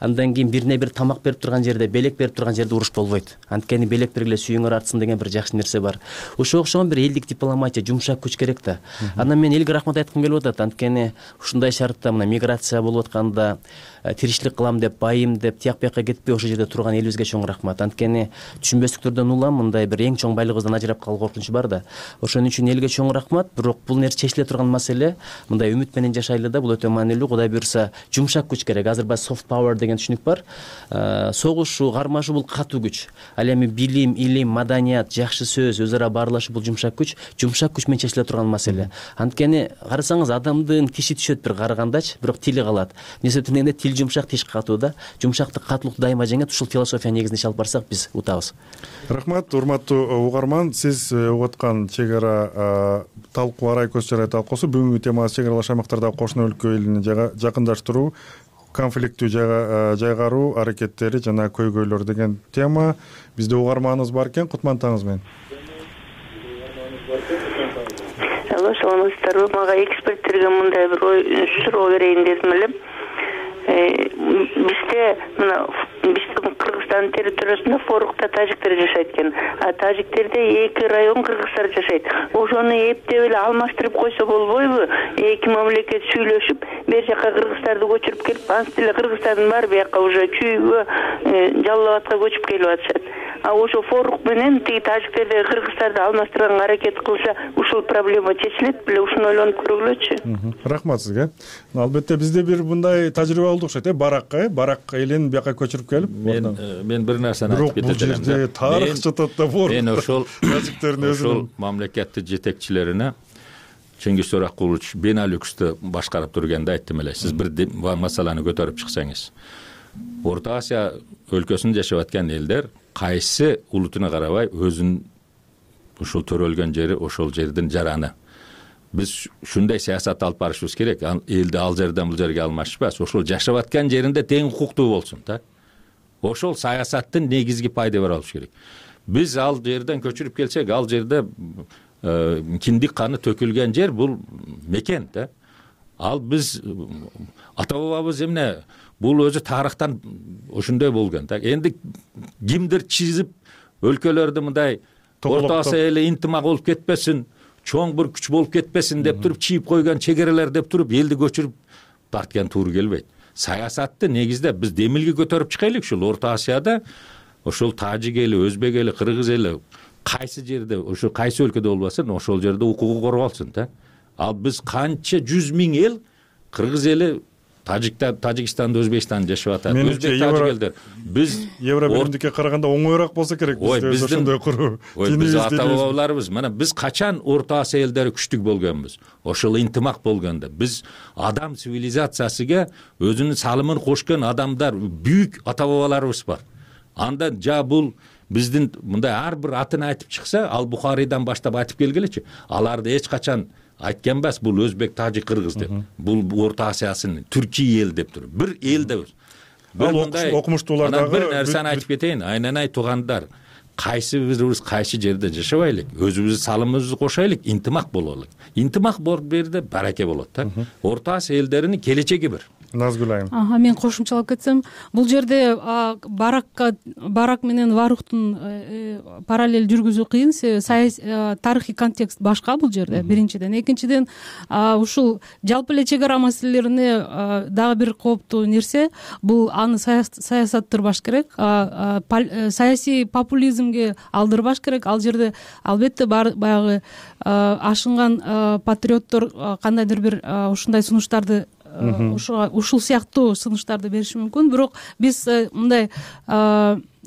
андан кийин бирине бир тамак берип турган жерде, белек берип турган жерде уруш болбойт. Анткени белек бергиле сүйүңөр артсын деген бир жакшы нерсе бар. Ошого окшогон бир элдик дипломатия, жумшак күч керек да. Анан мен элге рахмат айткым келип атат. Анткени ушундай шартта мына миграция болуп атканда тиричилик кылам деп, байым деп, тияк бияка кетпей ошол жерде турган элибизге чоң рахмат. Анткени түшүнбөстүктөрдөн улам мындай бир эң чоң байлыгыбыздан ажырап калуу коркунучу бар да. Ошон үчүн элге чоң рахмат. Бирок бул нерсе чечиле турган маселе. Мындай үмүт менен жашайлы да, бул өтө маанилүү. Кудай буюрса, жумшак күч керек. Азыр баягы soft power деген түшүнүк бар. Согушу, кармашуу бул катуу күч. Ал эми билим, илим, маданият, жакшы сөз, өз ара баарлашуу бул жумшак күч. Жумшак күч менен чечиле турган маселе. Анткени карасаңыз, адамдын тиши түшөт бир карыгандачы, бирок тили калат. Эмне дегенде тил жумшак, тиш катуу да. Жумшактык, катуулукту дайыма жеңет. Ушул философия негизинде иши алып барсак, биз утабыз. Рахмат, урматтуу угарман. Сиз угуп аткан чек ара талкуу, арай көз чарай талкуусу бүгүнкү темасы чек аралаш аймактардагы кошуна өлкө элине жакындаштыруу, конфликттүү жайгаруу аракеттери жана көйгөйлөр деген тема. Бизде угарманыбыз бар экен, Кутман таңыз менен. Алло, саламатсыздарбы? Мага эксперттерге мындай бир суроо берейин дедим эле. Бизде мына биздин Кыргызстан территориясында Форукта тажиктер жашайт экен. Тажиктерде 2 район кыргыздар жашайт. Ошону эптеп эле алмаштырып койсо болбойбу? Эки мамлекет сүйлөшүп, бер жака кыргыздарды көчүрүп келип, ансы деле кыргыздардын баары бияка уже Чүйгө, Жалал Абадка көчүп келип атышат. Ошо Форук менен тиги тажиктердеги кыргыздарды алмаштырганга аракет кылса, ушул проблема чечилет беле? Ушуну ойлонуп көргүлөчү. Рахмат сизге. Албетте бизде бир мындай тажрыйба болду окшойт, барак элин бияка көчүрүп келип. Мен бир нерсени айтып кетет элем. Бирок бул жерде тарых жатат да Форук. Мен ошол тажиктердин ошол мамлекеттин жетекчилерине Чеңгиз Төрөкулович Беналюксту башкарып турганда айттым эле, сиз бир маселени көтөрүп чыксаңыз, Орто Азия өлкөсүндө жашап аткан элдер кайсы улутуна карабай өзүнүн ушул төрөлгөн жери, ошол жердин жараны. Биз ушундай саясат алып барышыбыз керек. Элди ал жерден бул жерге алмашпас, ошол жашап аткан жеринде тең укуктуу болсун да. Ошол саясаттын негизги пайда бер алыш керек. Биз ал жерден көчүрүп келсек, ал жерде киндик каны төкүлгөн жер бул мекен да. ал биз ата бабабыз эмне бул өзү тарыхтан ошондой болгон да. Энди кимдир чизип өлкөлөрдү мындай Орто Азия эли интимак болуп кетпесин, чоң бир күч болуп кетпесин деп туруп чийип койгон чегерелер деп туруп элди көчүрүп тарткан туура келбейт. Саясатты негизде биз демилге көтөрүп чыгайлык ушул Орто Азияда, ошол тажик эли, өзбек эли, кыргыз эли кайсы жерде, ошо кайсы өлкөдө болбосун, ошол жерде укугу корголсун да. Ал биз канча 100 миң эл, кыргыз эли Тажикстанда, Өзбекстанда жашап атат. Өзбек тажик элдер. Биз Евро биримдикке караганда оңоюраак болсо керек. Биз ошондой куруу. Биз ата бабаларыбыз, мына биз качан Орто Азия элдери күчтүү болгонбуз? Ошол интимак болгондо. Биз адам цивилизациясыга өзүнүн салымын кошкон адамдар, büyük ата бабаларыбыз бар. Анда бул биздин мындай ар бир атын айтып чыкса, ал Бухарийдан баштап айтып келгилечи. Аларды эч качан айткан эмес, бул өзбек, тажик, кыргыз деп. Бул Орто Азиясынын Түркия эл деп туруп. Бир эл деп. Окумуштуулар дагы бир нерсени айтып кетейин. Айнанай туугандар, кайсы бирибиз кайсы жерде жашабайлык, өзүбүздүн салымыбызды кошайлык, интимак бололук. Интимак болуп берде бараке болот да. Орто Азия элдеринин келечеги бир. Назгүл айым. Мен кошумчалап кетсем, бул жерде барак менен варухтун параллель жүргүзүү кыйын. Тарыхый контекст башка бул жерде, биринчиден. Экинчиден, ушул жалпы эле чек ара маселелерине дагы бир кооптуу нерсе, бул аны саясаттырбаш керек, саясий популизмге алдырбаш керек. Ал жерде албетте баягы ашынган патриоттор кандайдыр бир ушундай сунуштарды ушул сыяктуу сунуштарды бериши мүмкүн. Бирок биз мындай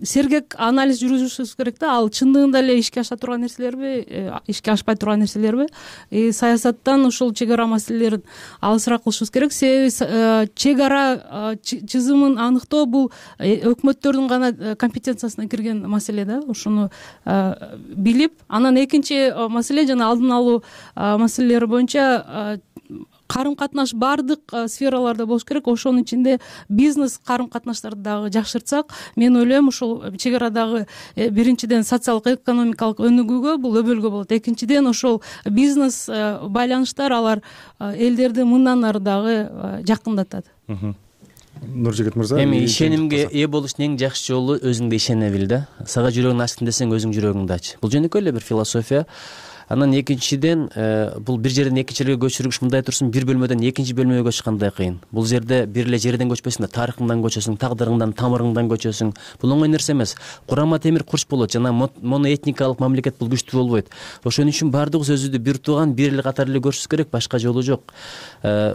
сергек анализ жүргүзүшүбүз керек да. Ал чындыгында эле ишке аша турган нерселерби, ишке ашпай турган нерселерби? Саясаттан ушул чек ара маселелерин алысыраак кылышыбыз керек. Себеби чек ара чызымын аныктоо бул өкмөттөрдүн гана компетенциясына кирген маселе да. Ошону билип, анан экинчи маселе жана алдын алуу маселелери боюнча карым-катнаш баардык сфераларда болуш керек. Ошонун ичинде бизнес карым-катнаштарды дагы жакшыртсак, мен ойлойм ушул чек арадагы биринчиден социалдык экономикалык өнүгүүгө бул өбөлгө болот. Экинчиден ошол бизнес байланыштар алар элдерди мындан ары дагы жакындатат. Нуржигит мырза, эми ишенимге ээ болуштун эң жакшы жолу өзүңдө ишене бил да. Сага жүрөгүң ачтым десең өзүң жүрөгүңдү ач. Бул жөнөкөй эле бир философия. Анан экинчиден, бул бир жерден экинчи жерге көчүрүш мындай турсун, бир бөлмөдөн экинчи бөлмөгө көчүш кандай кыйын. Бул жерде бир эле жерден көчпөсүң да, тарыхыңдан көчөсүң, тагдырыңдан, тамырыңдан көчөсүң. Бул оңой нерсе эмес. Курама темир курч болот, жана моноэтникалык мамлекет бул күчтүү болбойт. Ошон үчүн баардыгыбыз өзүбүздү бир тууган, бир эле катары эле көрүшүбүз керек, башка жолу жок.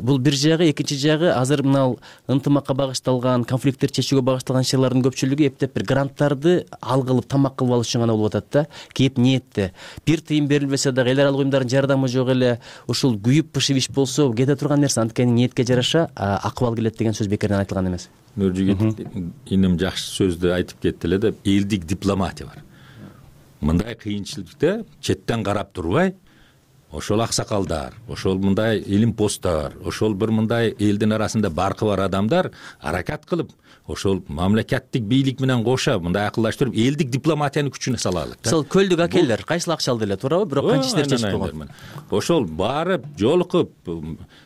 Бул бир жагы, экинчи жагы, азыр мына ынтымакка багышталган, конфликттерди чечүүгө багышталган ишчилардын көпчүлүгү эптеп бир гранттарды ал кылып, тамак кылып алыш үчүн гана болуп атат да. Кеп ниетте. Бир тыйын берилбесе дагы эл аралык уюмдардын жардамы жок эле, ушул күйүп пышып иш болсо кете турган нерсе, анткени ниетке жараша акыбал келет деген сөз бекерден айтылган эмес. Нуржигит иним жакшы сөздү айтып кетти эле деп, элдик дипломатия бар. Мындай кыйынчылыкта четтен карап турбай, ошол аксакалдар, ошол мындай илим посттор, ошол бир мындай элдин арасында баркы бар адамдар аракат кылып, ошол мамлекеттик бийлик менен кошо мындай акылдаштырып, элдик дипломатияны күчүнө салалык. Мисалы көлдүк акелер кайсыл акча алды эле, туурабы? Бирок канча иштер чечип койгон. Ошол барып, жолугуп,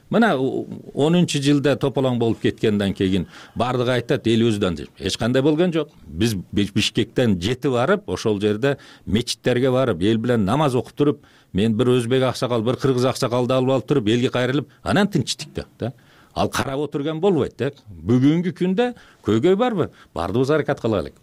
мына 10-жылда тополоң болуп кеткенден кийин бардыгы айтат, эл өзүдөн эч кандай болгон жок. Биз Бишкектен жетип барып, ошол жерде мечиттерге барып, эл менен намаз окуп туруп, мен бир өзбек аксакал, бир кыргыз аксакалды алып туруп, элге кайрылып, анан тынчтык да. Ал карап отурган болбойт да. Бүгүнкү күндө көйгөй барбы? Бардыгыбыз аракат кылайлык.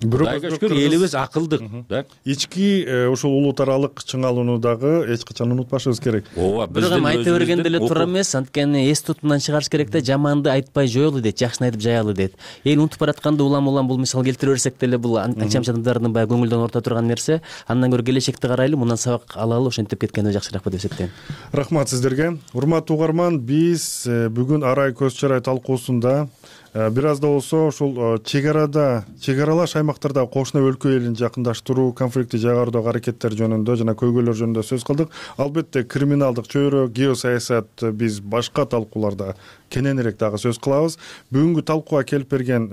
Кудайга шүкүр, элибиз акылдык да. Ички ушул улут аралык чыңалууну дагы эч качан унутпашыбыз керек. Бирок эми айта бергенде эле туура эмес, анткени эс тутумдан чыгарыш керек да. Жаманды айтпай жоелу дейт, жакшыны айтып жаялы дейт. Эл унутуп баратканда улам бул мисал келтире берсек деле, бул анча адамдардын баягы көңүлдөн орто турган нерсе. Андан көрө келечекти карайлы, мындан сабак алалы, ошентип кеткенде жакшыраак деп эсептейм. Рахмат сиздерге. Урматтуу угарман, биз бүгүн арай көз чарай талкуусунда бир аз да болсо ушул чек аралаш аймактарда кошуна өлкө элин жакындаштыруу, конфликтти жайгардоого аракеттер жөнүндө жана көйгөйлөр жөнүндө сөз кылдык. Албетте криминалдык чөйрө, геосаясат биз башка талкууларда кененирээк дагы сөз кылабыз. Бүгүнкү талкууга келип берген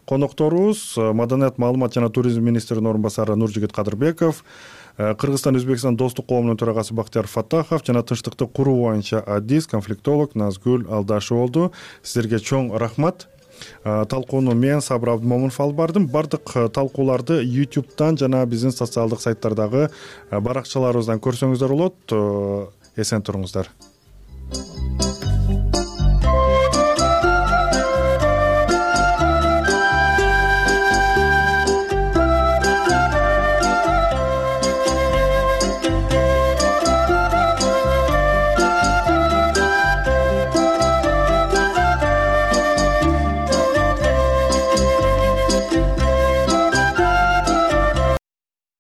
конокторубуз Маданият, маалымат жана туризм министринин орун басары Нуржигит Кадырбеков, Кыргызстан Өзбекстан достук коомунун төрагасы Бактияр Фаттахов жана тынчтыкты куруу боюнча адис, конфликтолог Назгүл Алдашева болду. Сиздерге чоң рахмат. Талкууну мен Сабыр Абдымомунов алып бардым. Бардык талкууларды YouTube'дан жана биздин социалдык сайттардагы баракчаларыбыздан көрсөңүздөр болот. Эсен туруңуздар.